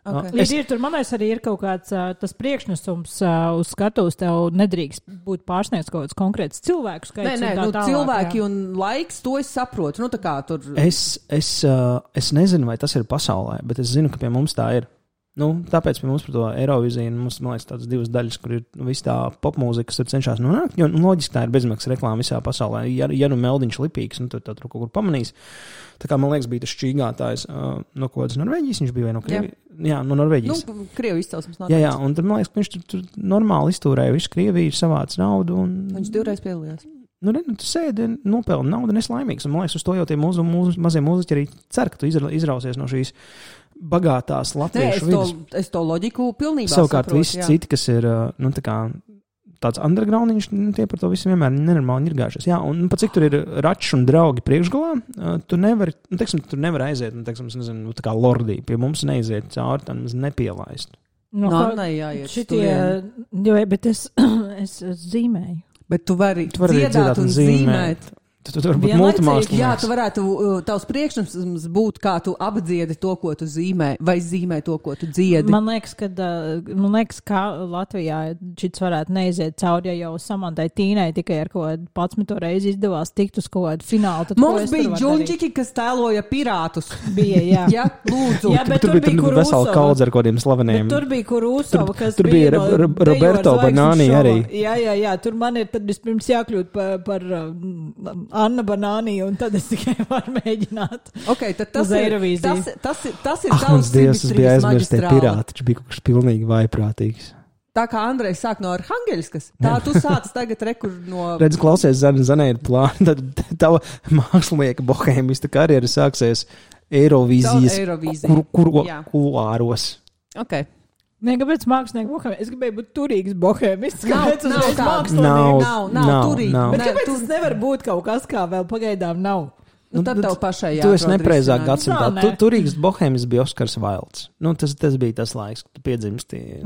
Okay. Tur, man liekas, arī ir kaut kāds tas priekšnesums uz skatuves, tev nedrīkst būt pārsniegts kaut kāds konkrēts cilvēku skaits. Nē, cilvēki un laiks, to es saprotu. Tā kā tur... Es nezinu, vai tas ir pasaulē, bet es zinu, ka pie mums tā ir. Tāpēc pie mums par to Eirovīziju, man liekas, tādas 2 daļas, kur ir viss tā popmūzika, kas tur cenšas nonākt, jo loģiski tā ir bezmaksas reklāma visā pasaulē. Ja meldiņš lipīgs, tad tur kaut kur pamanīs. Tā kā, man liekas, bija tas šķīgātājs no kaut kādas Norvēģijas, viņš bija vai no Krievijas? Jā, no Norvēģijas. Krievu izcelsmes Norvēģijas. Jā, un tad, man liekas, ka viņš tur normāli iztūrēja visu Krieviju, savāc naudu. Viņš 2 reizes piedalījās. Tu sēdi, nopelni naudu, neslaimīgs. Un, man liekas, uz to jau tie mazie mūziķi arī cer, ka tu izrausies no šīs bagātās latviešu vidas. Es to loģiku pilnībā savukārt saprotu. Visi citi, kas ir tāds undergroundiņš, tie par to visu vienmēr nenormāli ņirgājušies. Jā, un pat cik tur ir račs un draugi priekšgalā, tu nevari, tur nevar aiziet, nezinu, tā kā lordī, pie mums neiziet cauri, tā mums nepielaist. Jāiet bet es zīmēju. Bet tu vari dziedāt un zīmēt. Tu varbūt multimākslinieks. Jā, tu varētu, tavs priekšnesums būt, kā tu apdziedi to, ko tu zīmē, vai zīmē to, ko tu dziedi. Man liekas, ka Latvijā šits varētu neiziet cauri, ja jau Samantai Tīnai tikai ar kaut kādu 11 reizi izdevās tikt uz kaut kādu finālu. Tad, mums bija džunģiki, kas tēloja pirātus. Bija, jā. Jā, lūdzu. Jā, bet tur bija vesela kaudze ar kodiem slaveniem. Tur bija Kurūsova, kas tur bija Roberto Banani arī. Jā, tur man ir tad vispirms jākļūt par Anna Banāni, un tad es tikai varu mēģināt. Okay, tad tas ir tavs Dievs, es biju aizmirst tie pirāti, viņš bija kaut kas pilnīgi vaiprātīgs. Tā kā Andrejs sāk no Arhangeļskas, tā tu sāc tagad rekur no... Redz, klausies, Zanē ir plāna, tad tava mākslinieka bohēmista karjera sāksies Eirovīzijas kulāros. Ok. Nē, kāpēc mākslinieks bohēmis? Es gribēju būt turīgs bohēmists. Kāpēc nav turīgi? Bet kāpēc tas nevar būt kaut kas, kā vēl pagaidām nav? Tad tev pašai tu esi nepreizā gadsimtā. Turīgs bohēmis bija Oskars Vailds. Tas bija tas laiks, kad tu piedzimsti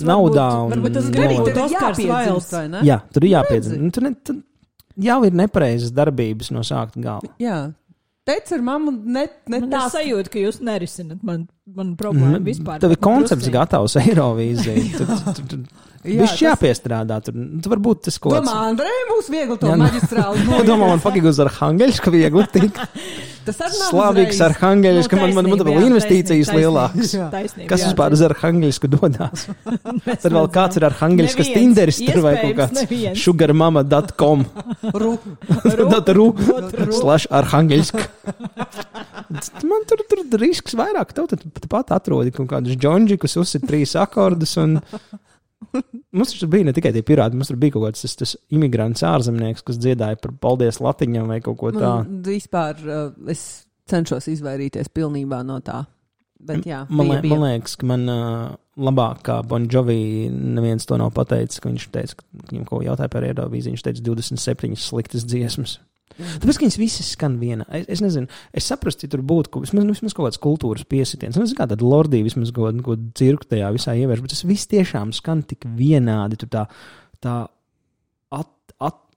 naudā. Varbūt tas gribētu būt Oskars Vailds. Jā, tur ir jāpiedzimst. Jau ir nepreizas darbības no sākta gala. Jā. Teic ar mammu man tā sajūta, ka jūs nerisinat man problēmu vispār. Tev ir koncepts gatavs Eirovīzija. Viss jāpiestrādā. Tu varbūt tas kaut kāds... Domā, Andrej, būs viegli to maģistrāli noiet. Domā, man fakīgi uz Arhangeļsku viegli tik. Slavīgs Arhangeļsku, man vēl investīcijas lielāks. Kas vispār uz Arhangeļsku dodās? Tad vēl kāds ir Arhangeļskas Tinderis, tur vai kaut kāds sugarmama.com /Arhangeļsk. Man tur risks vairāk. Tev pat atrodi kaut kādus džonģikus, uzsit 3 akordus un... Mums tur bija ne tikai tie pirāti, mums tur bija kaut kāds tas imigrants ārzemnieks, kas dziedāja par paldies latiņam vai kaut ko tā. Vispār es cenšos izvairīties pilnībā no tā. Bet jā, man liekas, ka man labāk kā Bon Jovi neviens to nav pateicis, ka viņš teica, ka viņam ko jautāja par Eirovīziju, viņš teica 27 sliktas dziesmas. Tāpēc, ka viņas visas skan vienā. Es nezinu, es saprastu, ja tur būtu vismaz kaut kāds kultūras piesitiens. Es nezinu, kā tāda lordija vismaz kaut ko cirku tajā visā ievērš, bet tas viss tiešām skan tik vienādi. Tur tā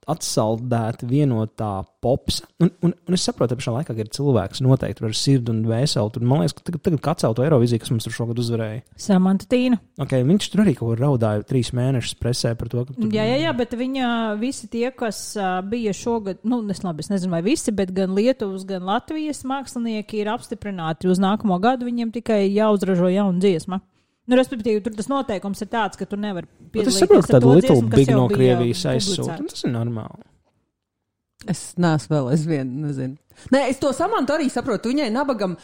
atsaldēta vienotā popsa. Un es saprotu, ka pašā laikā ir cilvēks noteikti ar sirdi un dvēseli. Tur, man liekas, ka tagad atcelt to Eiroviziju, kas mums tur šogad uzvarēja. Samanta Tīna. Okay, viņš tur arī kaut ko raudāja 3 mēnešus presē par to, ka tur... Jā, bet viņa visi tie, kas bija šogad, es nezinu, vai visi, bet gan Lietuvas, gan Latvijas mākslinieki ir apstiprināti uz nākamo gadu, viņiem tikai jāuzražo jauna dziesma. Respektīvi, tur tas noteikums ir tāds, ka tu nevari piedalīties. Es saprotu, ka tāda Little Big no Krievijas aizsūta. Tas ir normāli. Es neesmu vēl aizvien, nezinu. Nē, es to Samantu arī saprotu. Viņai nabagam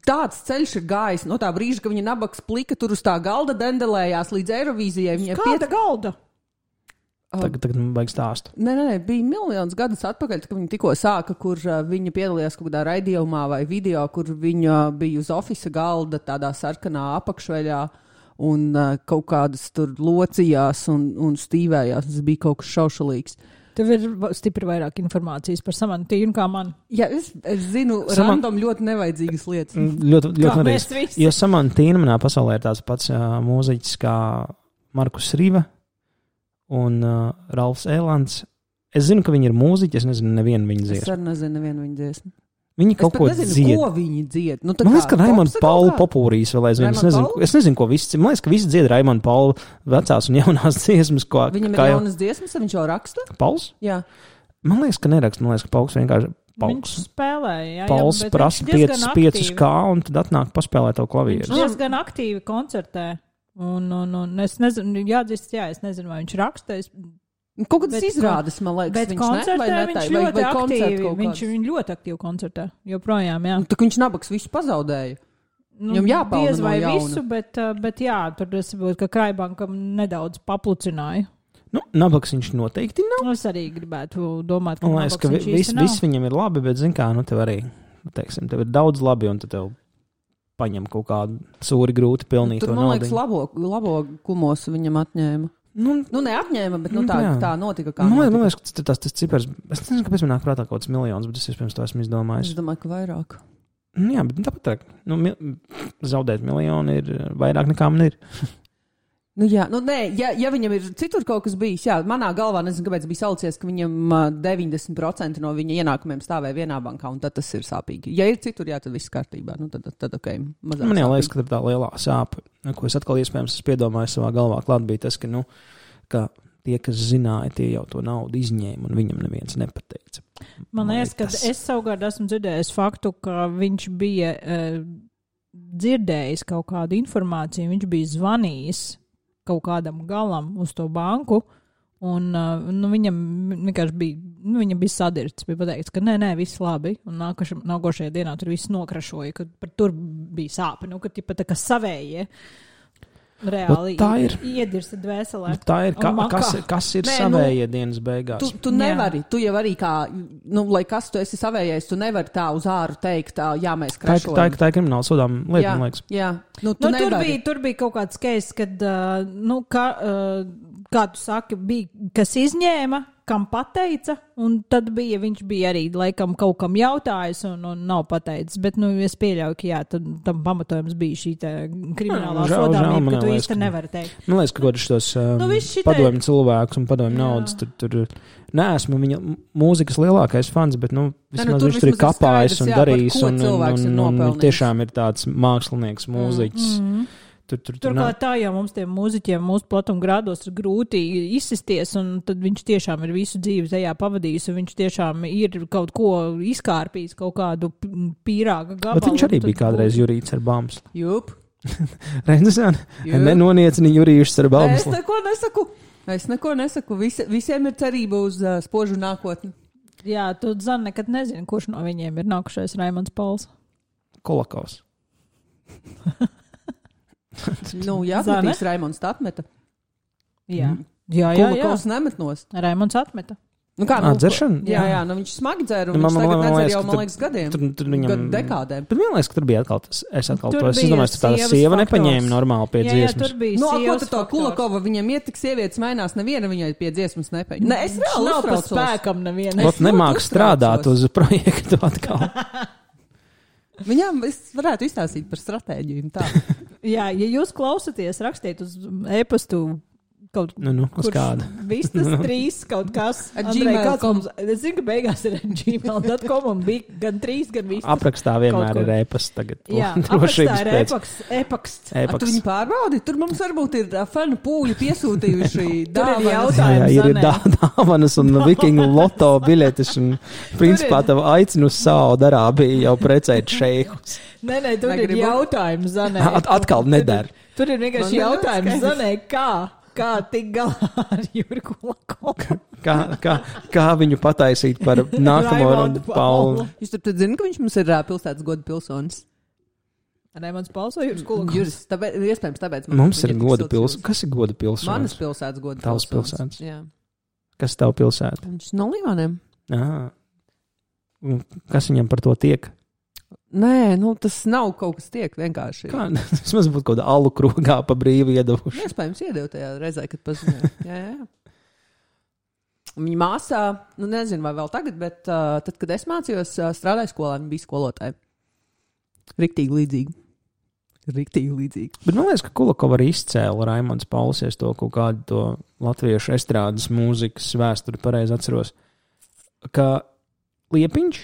tāds ceļš ir gājis no tā brīža, ka viņa nabags plika tur uz tā galda dendelējās līdz Eirovīzijai. Kāda galda? Tagad man vajag stāstu. Nē, bija miljonus gadus atpakaļ, kad viņa tikko sāka, kur viņa piedalījās kaut kādā raidījumā vai video, kur viņa bija uz ofisa galda tādā sarkanā apakšveļā un kaut kādas tur locījās un stīvējās. Tas bija kaut kas šaušalīgs. Tev ir stipri vairāk informācijas par Samantu Tīnu kā man. Jā, es zinu random ļoti nevajadzīgas lietas. Ļoti nevajadzīgas. Jo Samanta Tīna manā pasaulē ir tāds pats mūziķis kā Markus Riva un Ralfs Ēlants. Es zinu, ka viņi ir mūziķi, es nezinu nevienu viņa dziesmu. Es arī nezinu nevienu viņa dziesmu. Viņi kaut ko dzied. Ko viņi dzied? Man liekas, ka Raimonda Paula popūrīs vēl aizvien. Es nezinu, ko visi dzied. Man liekas, ka visi dzied Raimonda Paula vecās un jaunās dziesmas. Viņam ir jaunas dziesmas, viņš jau raksta? Pauls? Jā. Man liekas, ka neraksta. Man liekas, ka Pauls vienkārši... Viņš spēlēja. Pauls prasa 5 kā un tad atnāk paspēlēt tavu klavieru. Viņš diezgan aktīvi koncertē. Un es nezinu, es nezinu, vai viņš raksta. Kaut kādas izrādes, man liekas, bet koncertē viņš ļoti aktīvi. Viņš ļoti aktīvi koncertē, joprojām, jā. Tā viņš nabags visu pazaudēja. Viņam jāpalda diez vai no jauna. Visu, bet jā, tur es būtu, ka Kraibankam nedaudz paplucināja. Nabags viņš noteikti nav. Es arī gribētu domāt, ka man liekas, ka viss viņam ir labi, bet zin kā, tev arī, teiksim, tev ir daudz labi un tad tev paņem kaut kādu sūri grūti pelnīto naudu. Tur, man liekas, labo kumos viņam atņēma. Neapņēma, bet tā notika. Man liekas, ka tas cipars, es nezinu, kāpēc man nāk prātā kaut kāds miljons, bet es iespējams to esmu izdomājis. Es domāju, ka vairāk. Jā, bet tāpat zaudēt miljonu ir vairāk nekā man ir. Ja viņam ir citur kaut kas bijis, jā, manā galvā, nezinu, kāpēc bija saucies, ka viņam 90% no viņa ienākumiem stāvēja vienā bankā, un tad tas ir sāpīgi. Ja ir citur, jā, tad viss kārtībā, tad ok, mazāk man sāpīgi. Man liekas, ka tā lielā sāpe, ko es atkal iespējams piedomāju savā galvā klāt, bija tas, ka tie, kas zināja, tie jau to naudu izņēma, un viņam neviens nepateica. Man liekas, ka es savukārt esmu dzirdējis faktu, ka viņš bija dzirdējis kaut kādu informāciju, viņš bija zvanījis kaut kādam galam uz to banku, un viņam vienkārši bija sadirts, bija pateikts, ka nē, viss labi, un nākošajā dienā tur viss nokrašoja, ka par tur bija sāpe, ka tipa tā kā savējie reāli iedirsta dvēselē. Tā ir, kas ir savējie dienas beigās? Tu nevari, tu jau arī kā, lai kas tu esi savējais, tu nevari tā uz āru teikt, jā, mēs krašojam. Tā ir krimināla sodām lieta, man liekas. Jā, tur bija kaut kāds case, kad, kā tu saki, bija, kas izņēma, kam pateica, un tad viņš bija arī laikam kaut kam jautājis un nav pateicis, bet es pieļauju, ka jā, tam pamatojums bija šī kriminālā sodāmība, ka tu īsti nevari teikt. Man liekas, ka kaut šos padomju cilvēkus un padomju naudas tur neesmu viņa mūzikas lielākais fans, bet vismaz viņš tur ir kapājis un darījis un tiešām ir tāds mākslinieks, mūziķis. Turklāt tā jau mums tiem mūziķiem mūsu platuma grādos ir grūti izsisties, un tad viņš tiešām ir visu dzīvi tajā pavadījis, un viņš tiešām ir kaut ko izkārpījis, kaut kādu pīrāga gabalu. Bet viņš arī bija kādreiz jurīts ar bamslu. Jup. Reizes, nenoniecini jurīšus ar bamslu. Es neko nesaku. Visiem ir cerība uz spožu nākotni. Jā, tu, Zan, nekad nezini, kurš no viņiem ir nākušais Raimonds Pauls. Kolakaus. Atmetīs Raimonds atmeta. Jā. Kolakaus nemetnos. Raimonds atmeta. Nu kā, dzeršana? Jā, nu viņš smagi dzēra, un viņš tagad nedzer jau, man liekas, gadiem. Tur viņam... Dekādēm. Bet man liekas, ka tur bija atkal tas, es domāju, ka tā sieva nepaņēma normāli pie dziesmas. Jā, tur bija sievas faktors. To Kulakova, viņam iet tik sievietes mainās, neviena viņai pie dziesmas nepaņēma. Ne, es reāli uztraucos. Spēkam neviena. Ot nemāk strādāt uz projektu atkal. Viņām es varētu izstāstīt par stratēģiju. Tā. Jā, ja jūs klausaties, rakstiet uz e-pastu kaut uz kāda. Vistas 3 kaut kas. gmail.com. Es zinu, ka beigās ir gmail.com un bija gan 3, gan vistas. Aprakstā vienmēr ir e-pasts tagad. Jā, aprakstā ir e-paksts. Tu viņu pārbaudi? Tur mums varbūt ir fanu pūļi piesūtījuši dāvanas. Jā, ir dāvanas un vikingu loto biļetes un principā tev aicinu uz Saudarābiju jau precēt šeihus. Nē, tur ir jautājums Zanē. Atkal nedara. Tur ir vienkārši jautājums Zanē, kā tik galā ar Jurgu Kulakovu? Kā viņu pataisīt par nākamo Raimondu Paulu? Jūs tur zini, ka viņš mums ir pilsētas goda pilsonis? Raimonds Pauls vai Juris Kulakovs? Juris, iespējams, tāpēc. Mums ir goda pilsonis. Kas ir goda pilsonis? Manas pilsētas goda pilsonis. Tavs pilsētas? Jā. Kas ir tava pilsēta? Viņš no Līvāniem. Kas viņam par to tiek? Nē, tas nav kaut kas tiek vienkārši. Kā? Tas maz būtu kaut kāda alu krogā pa brīvi iedevuši. Iespējams, iedevu tajā reizē, kad paziņoju. Jā. Viņa māsā, nezinu vai vēl tagad, bet tad, kad es mācījos, strādāju skolā, viņa bija skolotāja. Riktīgi līdzīgi. Bet man liekas, ka Kulakova arī izcēla Raimonds Pauls, to kaut kādu to latviešu estrādes mūzikas vēsturi, pareizi atceros, ka Liepiņš,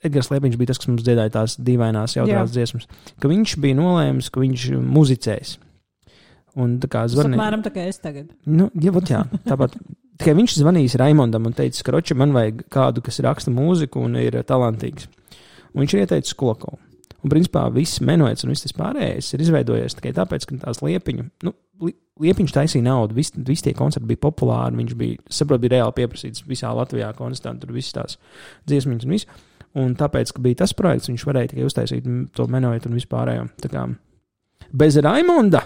Edgars Liepiņš bija tas, kas mums dziedāja tās dīvainās jautrās dziesmas, ka viņš bija nolēmis, ka viņš muzicēs. Un tā kā zvanīja... Apmēram tā kā es tagad. Jā, tāpat. Tikai viņš zvanījis Raimondam un teica, ka Roči, man vajag kādu, kas raksta mūziku un ir talantīgs. Un viņš ir ieteicis Kulakovu. Un principā viss Menoets un viss tas pārējais ir izveidojies tikai tāpēc, ka tās Liepiņš taisīja naudu, visi tie koncerti bija populāri, viņš bija reāli pieprasīts visā Latvijā koncertā, tur visas tās dziesmiņas un viss. Un tāpēc, ka bija tas projekts, viņš varēja tikai uztaisīt to Menoetu un vispārējo. Tā kā bez Raimonda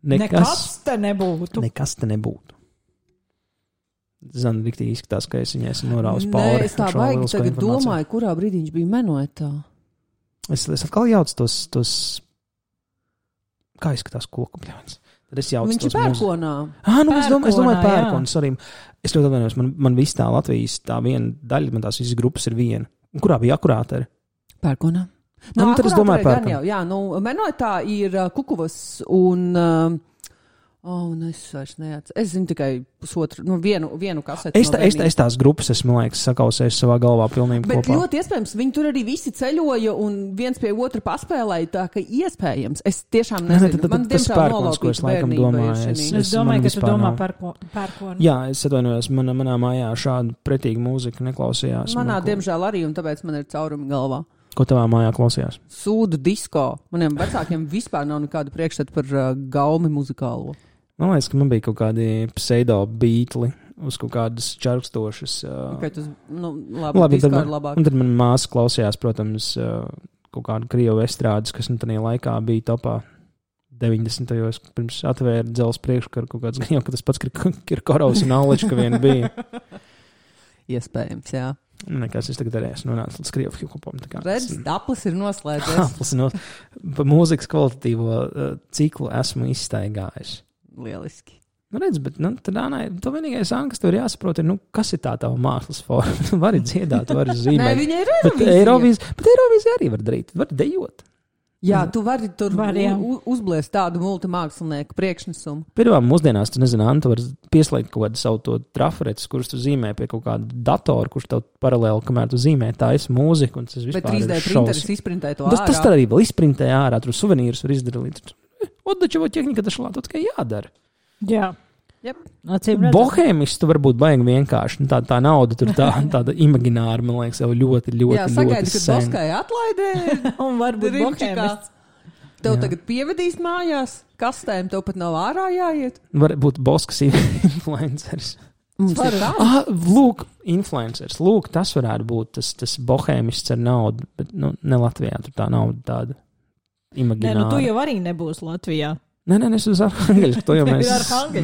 nekas te nebūtu. Zana riktīgi izskatās, ka es viņai esmu norāvis pāri. Nē, es tā baigi tagad domāju, kurā brīdī viņš bija Menoetā. Es atkal jaucu tos kā izskatās kokupļāns. Tad es jaucu viņš ir pērkonā. Es domāju pērkons arī. Es ļoti atvainojos, man viss tā Latvijas tā viena daļa, man tās visas grupas ir viena. Kurā bija akurāteri? Pērkonā. Tad es domāju pērkonā. Jā, Menoetā ir Kukuvas un... es vairs neatceros. Es zinu tikai pusotru, vienu kaseti. Es tās grupas esmu, liekas, sakausējis savā galvā pilnīgi kopā. Bet ļoti iespējams, viņi tur arī visi ceļoja un viens pie otra paspēlēja, tā ka iespējams. Es tiešām nezinu. Man diemžēl nolaupīts bērnība. Es domāju, ka tu domā pērkonu. Jā, es atvainojos, manā mājā šādu pretīgu mūziku neklausījās. Manā diemžēl arī, un tāpēc man ir caurumi galvā. Ko tavā mājā klausījās? Sūdu disko. Maniem vecākiem vispār nav nekāda priekšstata par gaumi muzikālo. Man liekas, ka man bija kaut kādi pseido beatli uz kaut kādas čarkstošas. Labi, disko ir labāk. Un tad man māsa klausījās, protams, kaut kādu krievu estrādes, kas tajā laikā bija topā 90. Pirms atvēra dzelzs priekškaru kaut kāds, jau ka tas pats Kirkorovs un Aulečka vien bija. Iespējams, jā. Nekas, es tagad arī esmu nonācis līdz krievu hip-hopam. Redz, Aplis ir noslēdzies. Pa mūzikas kvalitatīvo ciklu esmu izstaigājis. Lieliski. Redz, bet tad, Ānai, to vienīgais, kas tev ir jāsaprot, ir, kas ir tā tava mākslas forma. Vari dziedāt, vari zīmēt. Nē, viņa ir Eirovīzija. Bet Eirovīzija arī var darīt. Var dejot. Jā, tu vari tur uzblēst tādu multimākslinieku priekšnesumu. Pirmām mūsdienās, tu nezini, Anta var pieslēgt kaut kādu savu to trafaretes, kurus tu zīmē pie kaut kāda datora, kurš tev paralēli, kamēr tu zīmē, tā ir mūzika. Bet 3D printeris izprintē to ārā. Tas arī vēl izprintē ārā, tur suvenīrus var izdarīt. Отдачего техника дошла, тут tikai jādara. Jā. Bohēmistu varbūt baigi vienkārši. Tā nauda tur tāda imagināra, man liekas, jau ļoti sen. Jā, sagaidi, kad Boskai atlaidē un varbūt bohēmists. Tev tagad pievedīs mājās, kastēm tev pat nav ārā jāiet. Varbūt Boskas influenceris. Lūk, influenceris. Lūk, tas varētu būt tas bohēmists ar naudu, bet ne Latvijā tur tā nauda tāda. Imagināri. Tu jau arī nebūsi Latvijā. Nē, es uz Arhangeļsku, to jau mēs...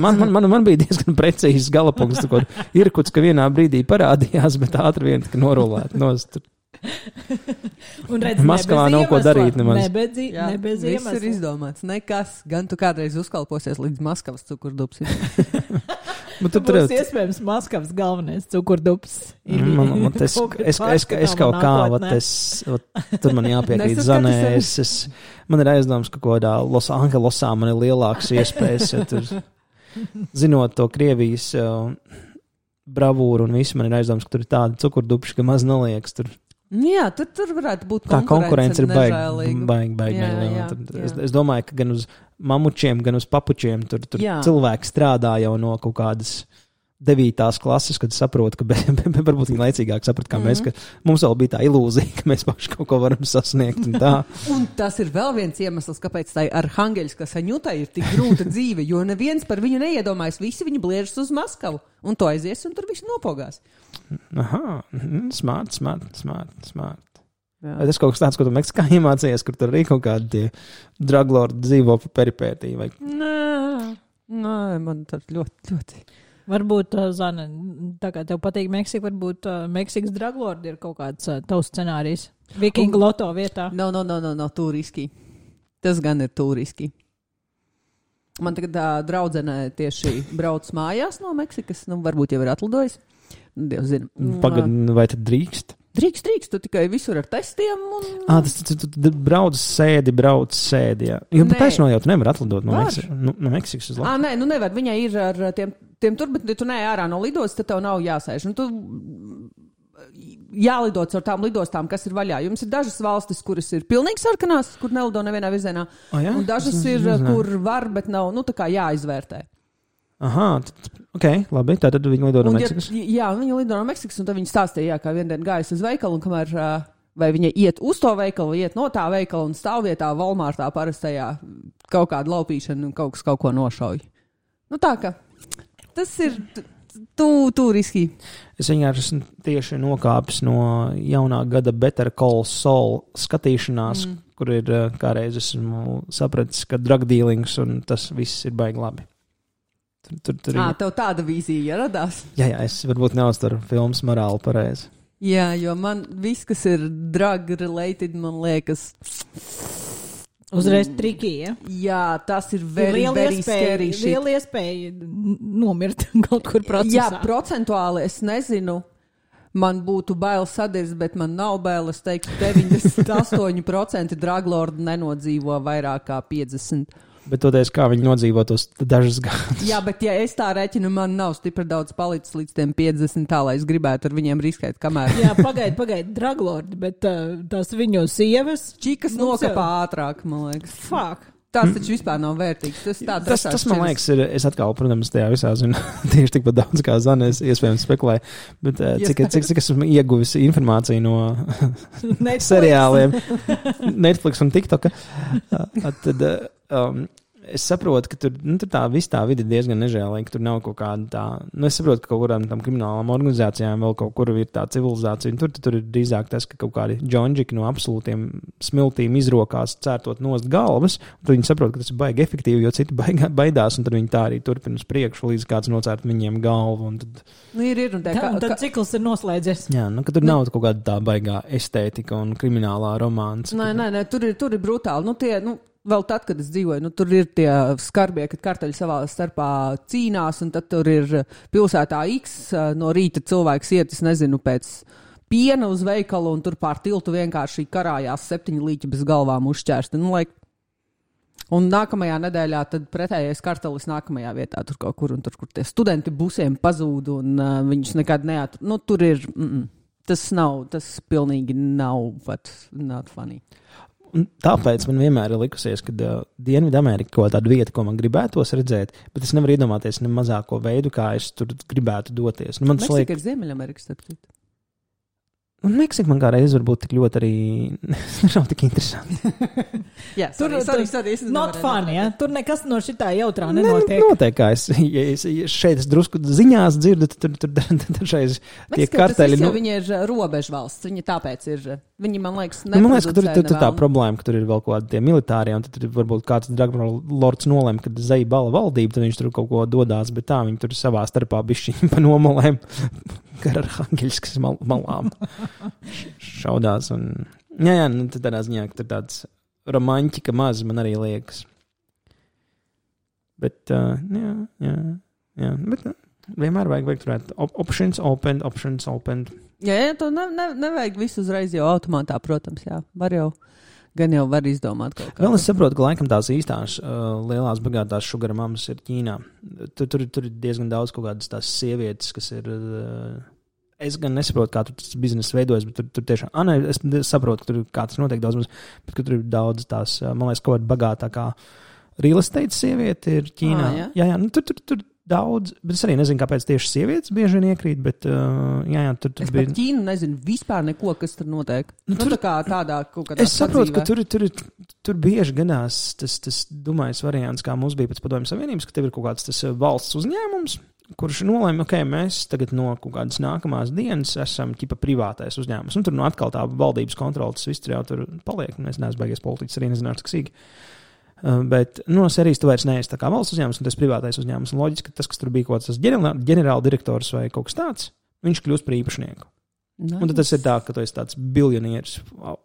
Man bija diezgan precīzs galapunkts, tā kaut Irkuts, ka vienā brīdī parādījās, bet ātri vien tika norulēt nost. Un redz, Maskavā nav ko darīt nemaz. Nebez Viss iemesla. ir izdomāts. Nekas. Gan tu kādreiz uzkalposies līdz Maskavas cukurdubsim. Būs iespējams Maskavas galvenais cukurdups. Es kaut kā, tur man jāpiekrīt Zanē. Man ir aizdoms, ka kodā Los-Angelosā man ir lielāks iespējas, ja tur, zinot to Krievijas bravūru un visu, man ir aizdoms, ka tur ir tādi cukurdupši, ka maz neliekas tur. Jā, tur varētu būt tā konkurence ir baigi. Jā. Es domāju, ka gan uz mamučiem, gan uz papučiem tur cilvēki strādā jau no kaut kādas 9. klases, kad saprot, ka varbūt viņi laicīgāk saprat, kā mēs, ka mums vēl bija tā ilūzija, ka mēs paši kaut ko varam sasniegt un tā. Un tas ir vēl viens iemesls, kāpēc tai Arhangeļska saņutai ir tik grūta dzīve, jo neviens par viņu neiedomājas, visi viņi bliežas uz Maskavu, un to aizies, un tur viss nopogās. Aha, smart. Vai tas kaut kas tāds, ko tu Meksikā iemācījies, kur tur arī kaut kādi tie draglordi dzīvo pa peripētī? Vai... Nē, man tas ļoti. Varbūt, Zane, tā kā tev patīk Meksika, varbūt Meksikas draglordi ir kaut kāds tavs scenārijs. Vikingu loto vietā. No, turiski. Tas gan ir turiski. Man tagad draudzenē tieši brauc mājās no Meksikas, varbūt jau ir atlidojis. Dievs zina. Pagad, vai tad drīkst? Drīkst, tu tikai visur ar testiem. Tas brauc sēdi, jā. Jo pēc no jau tu nevar atlidot no Meksikas uz Latviju. Nē, nevar. Viņai ir ar tiem tur, bet ja tu neej ārā no lidos, tad tev nav jāsēž. Tu jālidot ar tām lidostām, kas ir vaļā. Jums ir dažas valstis, kuras ir pilnīgi sarkanās, kur nelido nevienā virzienā. Un dažas ir, kur var, bet nav, tā kā jāizvērtē. Aha, ok, labi, tātad viņi lido no Meksikas. Jā, viņi lido no Meksikas, un tad viņi stāstīja, kā vien dienu gājas uz veikalu, un kamēr vai viņa iet uz to veikalu, iet no tā veikala un stāvvietā Walmartā parastajā kaut kāda laupīšana un kaut ko nošauj. Tā ka tas ir turiski. Es vienkārši esmu tieši nokāpis no jaunā gada Better Call Saul skatīšanās, kur ir kādreiz esmu sapratis, ka drug dealings un tas viss ir baigi labi. Tur tev tāda vīzija radās? Jā, es varbūt neuztveru filmas morāli pareizi. Jā, jo man viss, kas ir drug related, man liekas... Uzreiz trikī, ja? Jā, tas ir very scary shit. Liela iespēja nomirt kaut kur procesā. Jā, procentuāli es nezinu. Man būtu bail sadirst, bet man nav bail. Es teiktu, 98% draglordi nenodzīvo vairāk kā 50%. Bet toties, kā viņi nodzīvo tos dažas gadus. Jā, bet ja es tā reķinu, man nav stipri daudz palicis līdz tiem 50, tā, lai es gribētu ar viņiem riskēt, kamēr. Jā, pagaidi, draglordi, bet tās viņu sievas. Čikas nokapā ātrāk, man liekas. Fuck. Tas taču vispār nav vērtīgs. Tas man liekas, ir, es atkal, protams, tajā visā zinu tieši tikpat daudz kā Zanēs, iespējams spekulēju, bet cik esmu ieguvis informāciju no seriāliem, Netflix un TikToka, tad es saprotu, ka tur tā viss tā vide diezgan nežēlīga, tur nav kaut kāda tā, es saprotu, ka kaut kurām tam kriminālām organizācijām vēl kaut kur ir tā civilizācija, un tur ir drīzāk tas, ka kaut kādi džonģiki no absolūtiem smiltīm izrokās cērtot nost galvas, un tad viņi saprot, ka tas ir baigi efektīvi, jo citi baidās, un tad viņi tā arī turpina uz priekšu, līdz kāds nocērt viņiem galvu, un tad... un tad cikls ir noslēdzies. Jā, ka tur nav kaut kāda tā baigā estētika un kriminālā romāns. Nē, tur ir brutāli, vēl tad, kad es dzīvoju, tur ir tie skarbie, kad karteļi savā starpā cīnās, un tad tur ir pilsētā X, no rīta cilvēks iet, es nezinu, pēc piena uz veikalu, un tur pār tiltu vienkārši karājās 7 līķi bez galvām uzšķērsti. Un nākamajā nedēļā tad pretējais kartelis nākamajā vietā tur kaut kur, un tur, kur tie studenti busiem pazūd, un viņus nekad tur ir, tas pilnīgi nav, not funny. Tāpēc man vienmēr ir likusies, ka Dienvidamerika kaut tāda vieta, ko man gribētos redzēt, bet es nevaru iedomāties ne mazāko veidu, kā es tur gribētu doties. Meksika ir Ziemeļamerikas, starp citu. Un Meksika man kā reiz varbūt tik ļoti arī nav tik interesanti. Jā, sorry. Not fun, ja? Tur nekas no šitā jautrā nenotiek. Notiek, kā ja šeit es drusku ziņās dzirdu, tur dažreiz tie karteļi. Tas viņi ir robežu valsts, viņi tāpēc ir, viņi man liekas, man liekas, ka tur ir tā problēma, ka tur ir vēl kaut kādi tie militārie, un tad varbūt kāds Dragonlords nolēma, kad Zeibala valdība, tad viņš tur kaut ko dodās, bet tā viņi tur savā starpā bišķiņi pa nomalēm. Gar Arhangeļskas malām šaudās. Un, jā, nu, tādā ziņā, ka tur tāds romantika maz man arī liekas. Bet, jā. Bet vienmēr vajag turēt options open. Jā, to nevajag visu uzreiz jau automātā, protams, jā. Gan jau var izdomāt kaut kā. Vēl es saprotu, ka laikam tās īstās lielās bagātās šugara mamas ir Ķīnā. Tur ir diezgan daudz kaut kādas tās sievietes, kas ir... Es gan nesaprotu, kā tur tas bizness veidojas, bet tur tiešām... es saprotu, ka tur kā tas notiek daudz, bet tur ir daudz tās, man liekas, kaut kāda bagātākā real estate sieviete ir Ķīnā. Jā, nu tur daudz, bet es arī nezinu, kāpēc tieši sievietes bieži vien iekrīt, bet jā, tur es bija... Es par Ķīnu nezinu vispār neko, kas tur notiek. Nu, tā kā tādā kaut kādā es saprotu, ka tur bieži gadās tas dumais variants, kā mums bija pēc Padomju Savienības, ka tev ir kaut kāds tas valsts uzņēmums, kurš nolēma, mēs tagad no kaut kādas nākamās dienas esam ķipa privātais uzņēmums. Un tur atkal tā valdības kontrola, tas viss jau tur paliek. Es neesmu baigies politiķis, arī nezināšu, kas sīk. Bet no serijas tu vairs neesi tā kā valsts uzņēmums, un tas privātais uzņēmums. Un loģiski, ka tas, kas tur bija kaut kāds ģenerāla direktors vai kaut kas tāds, viņš kļūst par īpašnieku. Nice. Un tad tas ir tā, ka tu esi tāds biljonieris. Wow.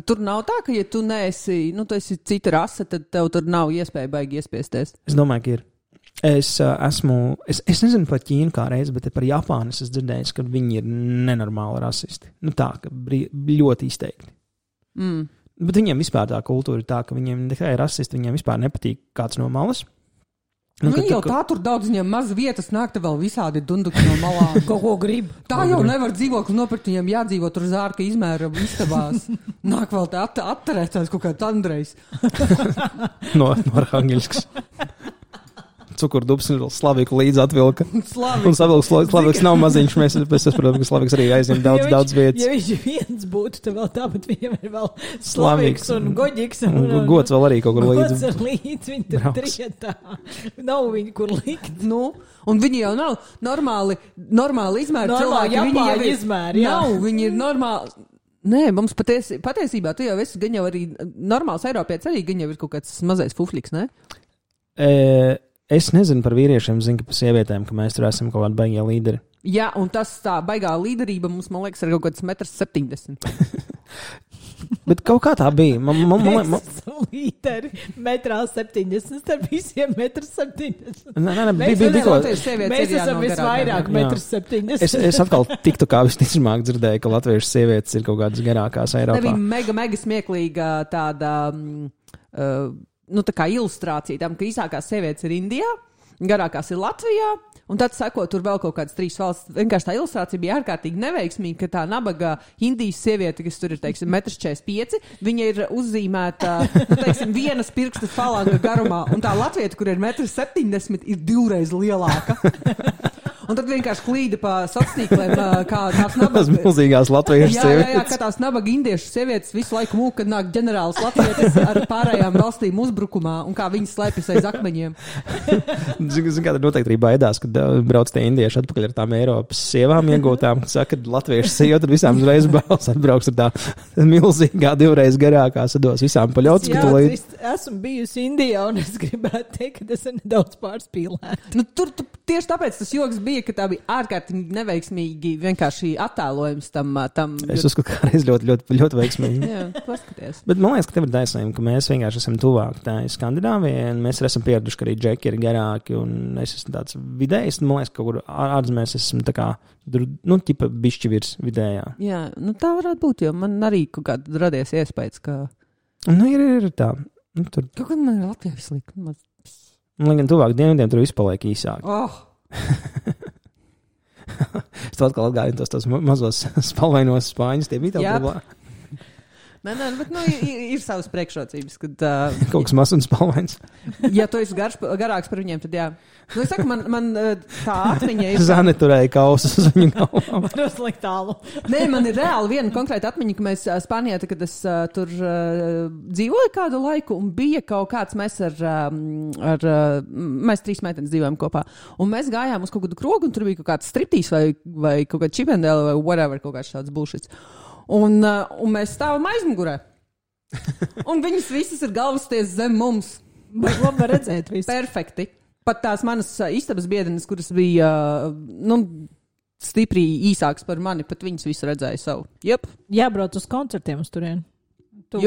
Tur nav tā, ka ja tu neesi, tu esi cita rase, tad tev tur nav iespēja baigi iespiesties. Es domāju, ka ir. Es nezinu par Ķīnu kā reizi, bet par Japānu es dzirdēju, ka viņi ir nenormāli rasisti. Tā, ka ļoti izteikti. Bet viņiem vispār tā kultūra ir tā, ka viņiem ne tikai rasisti, viņiem vispār nepatīk kāds no malas. Viņi jau tā tur daudz viņiem maz vietas nāk, te vēl visādi dunduki no malām. Kaut ko grib. Tā jau nevar dzīvokli nopirkt, viņiem jādzīvo tur zārka izmēra istabās. Nāk vēl te atterētās kaut kāds Andrejs. no Arhangeļskas. Cukurdubs un Slaviku līdz atvilka. Un Slaviks nav maziņš, mēs saprotam, ka Slaviks arī aizņem daudz vietas. Ja viņš viens būtu, tad vēl tāpat viņam ir vēl Slaviks un Goģiks. Un Gods vēl arī kaut kur līdzi. Gods ar līdzi, viņi tur trietā. Nav viņi kur likt. Un viņi jau nav normāli izmēri cilvēki. Viņi jau izmēri, jā. Nav, viņi ir normāli. Nē, mums patiesībā tu jau esi gan jau arī normāls Eiropietis, arī gan jau ir kaut kāds mazais fufliks, ne? Es nezinu par vīriešiem, zinu, ka par sievietēm, ka mēs tur esam kaut kādi baigie līderi. Jā, un tas tā baigā līderība mums, man liekas, ir kaut kāds 1,70 m. Bet kaut kā tā bija. Līderi 1,70 m, starp visiem 1,70 m. Mēs esam visvairāk 1,70 m. Es atkal tiktu kā visticamāk dzirdēju, ka latviešu sievietes ir kaut kādas garākās Eiropā. Tā bija mega smieklīga tāda... tā kā ilustrācija tam, ka īsākās sievietes ir Indijā, garākās ir Latvijā, un tad seko tur vēl kaut kādas 3 valsts. Vienkārši tā ilustrācija bija ārkārtīgi neveiksmīga, ka tā nabaga Indijas sieviete, kas tur ir, 1,45 m, viņa ir uzzīmēta, vienas pirksta falanga garumā, un tā latvieta, kur ir 1,70 m, ir 2 reizes lielāka. Un tad vienkārši klīda pa sociāliem, kā tās nabaga. Tas milzīgās latviešu sievietes. Jā, kā tās nabaga indiešu sievietes visu laiku mūk, kad nāk ģenerālis latvietis ar pārējām valstīm uzbrukumā, un kā viņas slēpjas aiz akmeņiem. Zinu, kā tad noteikti arī baidās, kad brauc tie indieši atpakaļ ar tām Eiropas sievām iegūtām, kas saka, ka latviešu sieva tad visām uzreiz bāls atbrauks ar tā milzīgā 2 reizes garākā sados visām paļauts. Jā, esmu bijusi Indijā, un es gribētu teikt, ka tas ir nedaudz pārspīlēti. Tur tieši tāpēc tas joks bija, ka tā bija ārkārtīgi neveiksmīgi vienkārši attēlojums tam. Es uzskatu, ka reiz ļoti veiksmīgi. Jā, paskaties. Bet man liekas, ka tev ir taisnība, ka mēs vienkārši esam tuvāk tā Skandināvijai, un mēs esam pieraduši, ka arī džeki ir garāki, un es esmu tāds vidējs, man liekas, ka kaut kur ārzemēs esmu tā kā, ķipa bišķi virs vidējā. Jā, tā varētu būt, jo man arī kaut kāda radies iespējas, ka... Ir tā. Tur... Kaut kā man ir Latvijā vislīk. Man liekas, tuvāk dienvidiem tur viss paliek īsāk. Es to atkal atgādinu tos mazos spalvainos spāņus, tie bija tā problēma. Nē, bet ir savas priekšrocības, kad... Kaut kas mazs un spalvains. Ja tu esi garāks par viņiem, tad jā. Nu, es saku, man tā atmiņa ir... Zane turēja kausas uz viņu galvām. Var uzlikt tālu. Nē, man ir reāli viena konkrēta atmiņa, ka mēs Spānijā, kad es tur dzīvoju kādu laiku, un bija kaut kāds, mēs mēs 3 meitenes dzīvojam kopā, un mēs gājām uz kaut kādu krogu, un tur bija kaut kāds striptīs vai kaut kāds čipendēli vai whatever, kaut kāds šāds bullshits. Un mēs stāvam aizmugurē. Un viņas visas ir galvasties zem mums. Bet labi redzēt visu. Perfekti. Pat tās manas istabas biedrenes, kuras bija, stipri īsāks par mani, pat viņas visu redzēja savu. Jep. Jābrauc uz koncertiem uz turieni. Tu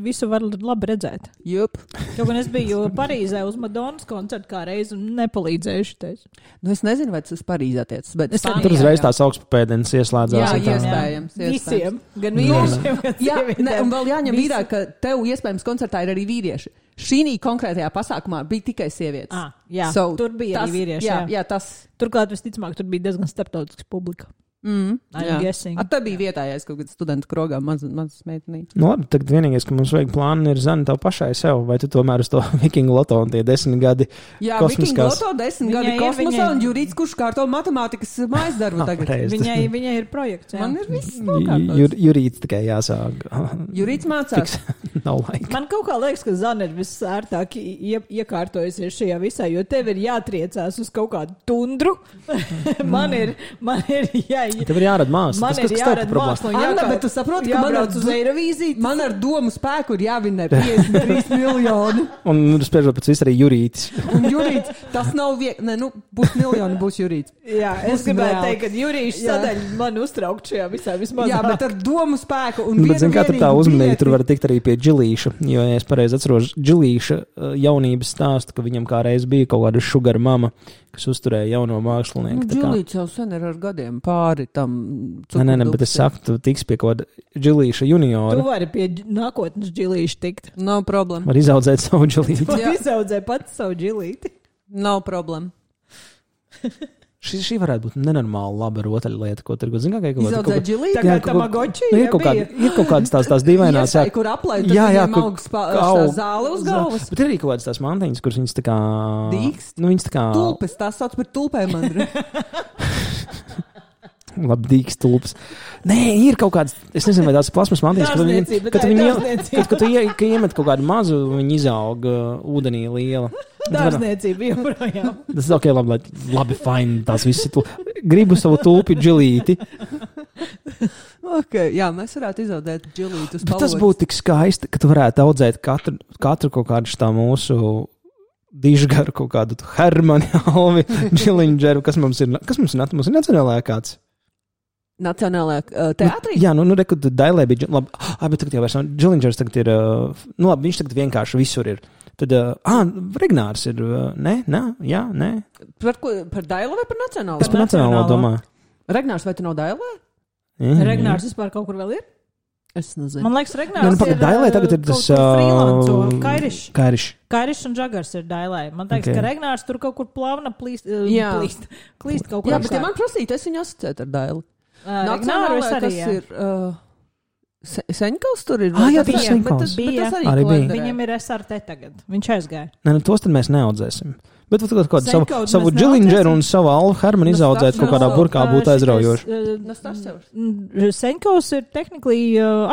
visu var labi redzēt. Jep. Jo, gan es biju Parīzē uz Madonas koncertu kā reizi un nepalīdzēju šitais. Nu, es nezinu, vai tas uz Parīzē tiec, bet tur uzreiz tās augstpēdienas ieslēdzās. Jā, iespējams. Visiem. Gan vīriešiem, gan sievietēm. Un vēl jāņem vīrā, ka tev iespējams koncertā ir arī vīrieši. Šī konkrētajā pasākumā bija tikai sievietes. Jā, tur bija arī vīrieši. Jā, tas. Turklāt, visticamāk, tur bija diezgan starptautisks publika. Tā bija vietējais kaut kāds studentu krogā, mazas meitenītes. Nu, labi, tagad vienīgais, ka mums vajag plānu ir Zana tev pašai sev, vai tu tomēr uz to Vikingu loto un tie 10 gadi jā, kosmiskās... Jā, Vikingu loto 10 gadi kosmosā un Jurīts, kurš kārto matemātikas mājas darbu tagad. Viņai ir projekts, jā. Man ir viss nokārtots. Jurīts tikai jāsāk. Jurīts mācās. Nav laika. Man kaut kā liekas, ka Zana ir vissērtāk iekārtojusies šajā visā, jo tev ir jātriecās uz kaut kādu tundru. man ir tev ir jārada māksla. Man ir jārada māksla. Anna, bet tu saproti, ka man ar domu spēku ir jāvinē 53 miljoni. Un spriežot pēc visu arī Jurītis. Un Jurītis, tas nav būs miljoni, būs Jurītis. Jā, es gribētu teikt, ka Jurītis sadaļa man uztraukt šajā visā vismaz. Jā, bet ar domu spēku. Bet zin, kā tur tā uzmanība, tur var tikt arī pie Džilīša, jo, ja es pareizi atceros Džilīša jaunības stāstu, ka viņam kā reiz bija kaut kāda sugar mama, kas uzturēja jauno mākslinieku. Džilīts jau sen ir ar gadiem pāri tam cukurdupsi. Nē, bet es saku, tu tiks pie kaut kāda Džilīša juniora. Tu vari pie nākotnes Džilīša tikt. Nav problēma. Var izaudzēt savu Džilīti. Var izaudzēt pats savu Džilīti. Nav problēma. Šī varētu būt nenormāli laba rotaļlieta, ko tur zina, kā izaudzēt Džilīti. Tā kā Tamagoči, ir kaut kādas tās dīvainās. Iesai, kur aplaid, tas viņiem augs zāle uz galvas. Bet ir arī kaut kādas tās mantiņas, kuras viņas tā kā... Dīkst? Viņas tā kā... Tulpes, tās sauc par tulpēm, Andri. Labi, dīks tulps. Nē, ir kaut kāds, es nezinu, vai tās ir plasmas mantiņas, kad tu iemet kaut kādu mazu, viņi izaug ūdenī liela. Dārzniecība joprojām. Tas ir ok, labi, fine, tās visi gribu savu tulpi Džilīti. Ok, jā, mēs varētu izaudzēt Džilīti uz palodas. Bet tas būtu tik skaisti, ka tu varētu audzēt katru kaut kādu šitā mūsu dižgaru, kaut kādu Hermani, Alvi, Džilindžeru, kas mums ir nacionālajā kāds? Nacionālajā teātrī? Jā, reku, Dailē bija, labi, bet tagad jau vairs nav, Džilindžers tagad ir, labi, viņš tagad vienkārši visur ir. Tad, Regnārs ir, nē. Par Dailu vai par nacionālo? Es par nacionālo domāju. Regnārs, vai tu nav Dailē? Regnārs vispār kaut kur vēl ir? Es nezinu. Man liekas, Regnārs ir Dailē tagad ir tas freelanco, Kairišs un Džagars ir Dailē. Man liekas, ka Regnārs tur kaut kur plavna klīst kaut kur. Jā, bet ja man prasīt, es viņu asociētu ar Dailu. Regnāru es arī, jā. Seņkaus tur ir? Jā, tas ir Seņkaus. Arī bija. Viņam ir SRT tagad. Viņš aizgāja. Nē, tos tad mēs neaudzēsim. Bet tu kaut kādu savu Džilindžeru un savu Alvu Hermanu izaudzēt kaut kādā burkā būtu aizraujoši. Seņkaus ir tehnikli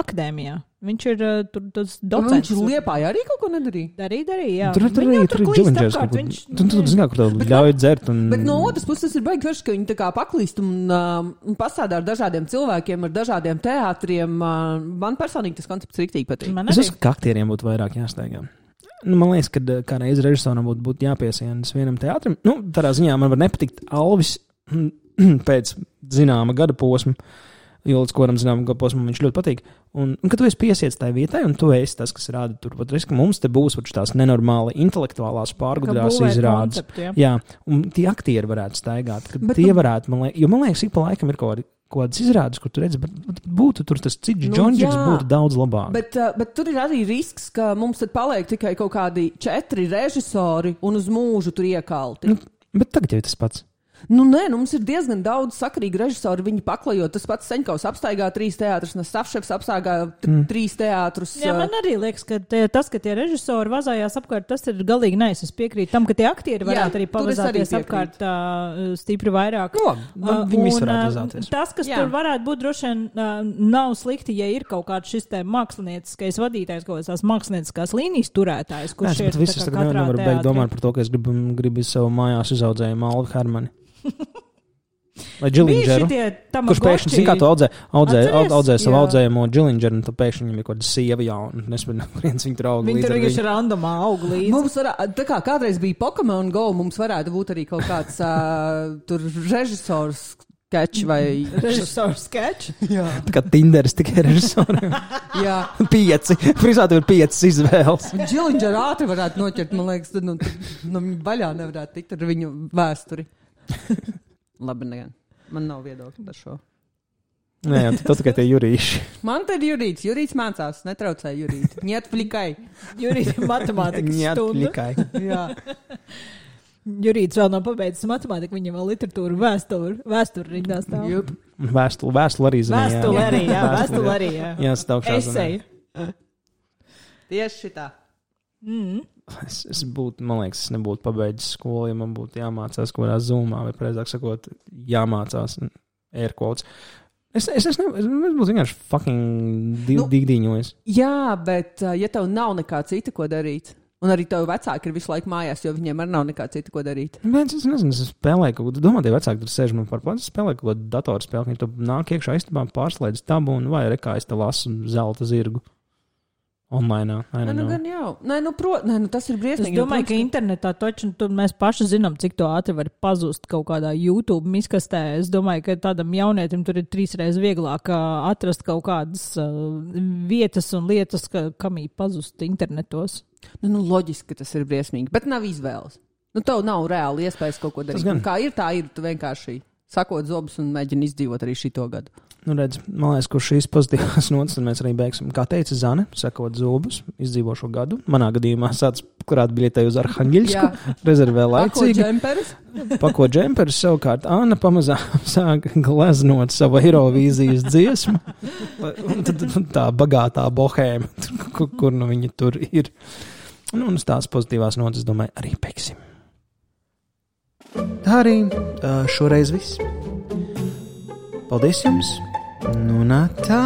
akadēmijā. Viņš ir tur tas docents. Viņš Liepājā arī kaut ko nedarīja? Darīja, jā. Tur arī Džilindžers kaut ko. Tu zini, kur tev ļauj dzert. Bet no otras puses ir baigi forši, ka viņi tā kā paklīst un pasādā ar dažādiem cilvēkiem, ar dažādiem teātriem. Man personīgi tas koncepts riktīgi patīk. Es uzskatu, ka aktieriem būtu vairāk jāsteigā. Man liekas, ka kādreiz režisoram būtu jāpiesienas vienam teātrim. Tādā ziņā man var nepatikt Alvis pēc zināma gada posma. Jo līdz kuram zinām, ka posmam viņš ļoti patīk. Un kad tu esi piesiets tai vietai, un tu esi tas, kas rāda turpat risku, mums te būs tās nenormāli intelektuālās pārgudrās izrādes. Jā, un tie aktieri varētu staigāt. Varētu, man liekas, ik pa laikam ir kaut kādas izrādes, kur tu redzi, bet būtu tur tas cits Džonģiks būtu daudz labāk. Bet tur ir arī risks, ka mums tad paliek tikai kaut kādi 4 režisori un uz mūžu tur iekalti. Bet tagad jau ir tas pats. Nē, mums ir diezgan daudz sakarīgi režisori. Viņi paklajo. Tas pats Seņkaus apstaigā 3 teātrus, Nastafševs apstaigā 3 teātrus. Jā, man arī liekas, ka tas, ka tie režisori vazājās apkārt, tas ir galīgi nais. Es piekrītu tam, ka tie aktieri varētu arī pavazāties apkārt stipri vairāk. Viņi visi varētu vazāties. Tas, kas tur varētu būt, droši vien nav slikti, ja ir kaut kāds šis te mākslinieckais vadītājs, kaut kāds mākslinieckās līnijas turētājs, kurš ir tā kā katrā teātrī. Domāt par to, ka es gribu savu mājās izaudzējumu Alvi Hermani. Vai Džilindžeru, kurš pēkšņi, zin kā tu audzē savu audzējamo Džilindžeru, un tad pēkšņi viņam ir kaut kāda sieva jauna, un es nezinu, viens viņa tur aug līdz. Viņa tur vienkārši randomā aug līdz. Mums tā kā kādreiz bija Pokemon Go, mums varētu būt arī kaut kāds tur režisors sketch vai... Režisors sketch? Jā. Tā kā Tinderis tikai režisoriem. Jā. 5. Prisā tev ir 5 izvēles. Džilindžeru ātri varētu noķert, man liekas, tad viņa vaļā nevarētu tikt ar viņu vēsturi. Labi, man nav viedokļa par šo. Nē, tu tikai tie jurīši. Man te ir jurīts. Jurīts mācās, netraucē jurīt. Niet flikai. Jurīts matemātikas stunda. Jā. Jurīts vēl nav pabeidzis matemātiku, viņam vēl literatūra, vēsturi rindā stāv. Vēstuli arī zina. Vēstuli arī, jā. Jā, stāvšā zina. Esei. Tieši šitā. Es būtu, man liekas, es nebūtu pabeidzis skolu, ja man būtu jāmācās kaut kādā Zoomā, vai precīzāk sakot, jāmācās air quotes. Es būtu vienkārši fucking digdiņojis. Jā, bet ja tev nav nekā cita, ko darīt, un arī tev vecāki ir visu laiku mājās, jo viņiem arī nav nekā cita, ko darīt. Bet es nezinu, es spēlēju kaut ko, domā, tie vecāki tur sēž man par pats, spēlēju kaut ko datorspēli, viņi tur nāk iekšā istabā, pārslēdz tabu, un vai rekā es te lasu zelta zirgu. Online. Tas ir briesmīgi. Es domāju, ka internetā toču mēs paši zinām, cik to ātri var pazust kaut kādā YouTube miskastē. Es domāju, ka tādam jaunietim tur ir 3 reizes vieglāk atrast kaut kādas vietas un lietas, kam ir pazust internetos. Loģiski, ka tas ir briesmīgi, bet nav izvēles. Tev nav reāli iespējas kaut ko darīt. Kā ir, tā ir. Tu vienkārši sakot zobus un mēģini izdzīvot arī šito gadu. Redz, man liekas, kur šīs pozitīvās notas, tad mēs arī beigsim. Kā teica Zane, sakot zobus, izdzīvo šo gadu. Manā gadījumā sāc krāt biļetē uz Arhanģeļsku, rezervē laicīgi. Pako džemperus. Savukārt Anna pamazām sāk gleznot savu Eirovīzijas dziesmu. Un tad tā bagātā bohēma, kur nu viņa tur ir. Un uz tās pozitīvās notas, domāju, arī beigsim. Tā arī šoreiz viss. Paldies jums! Nu, tā!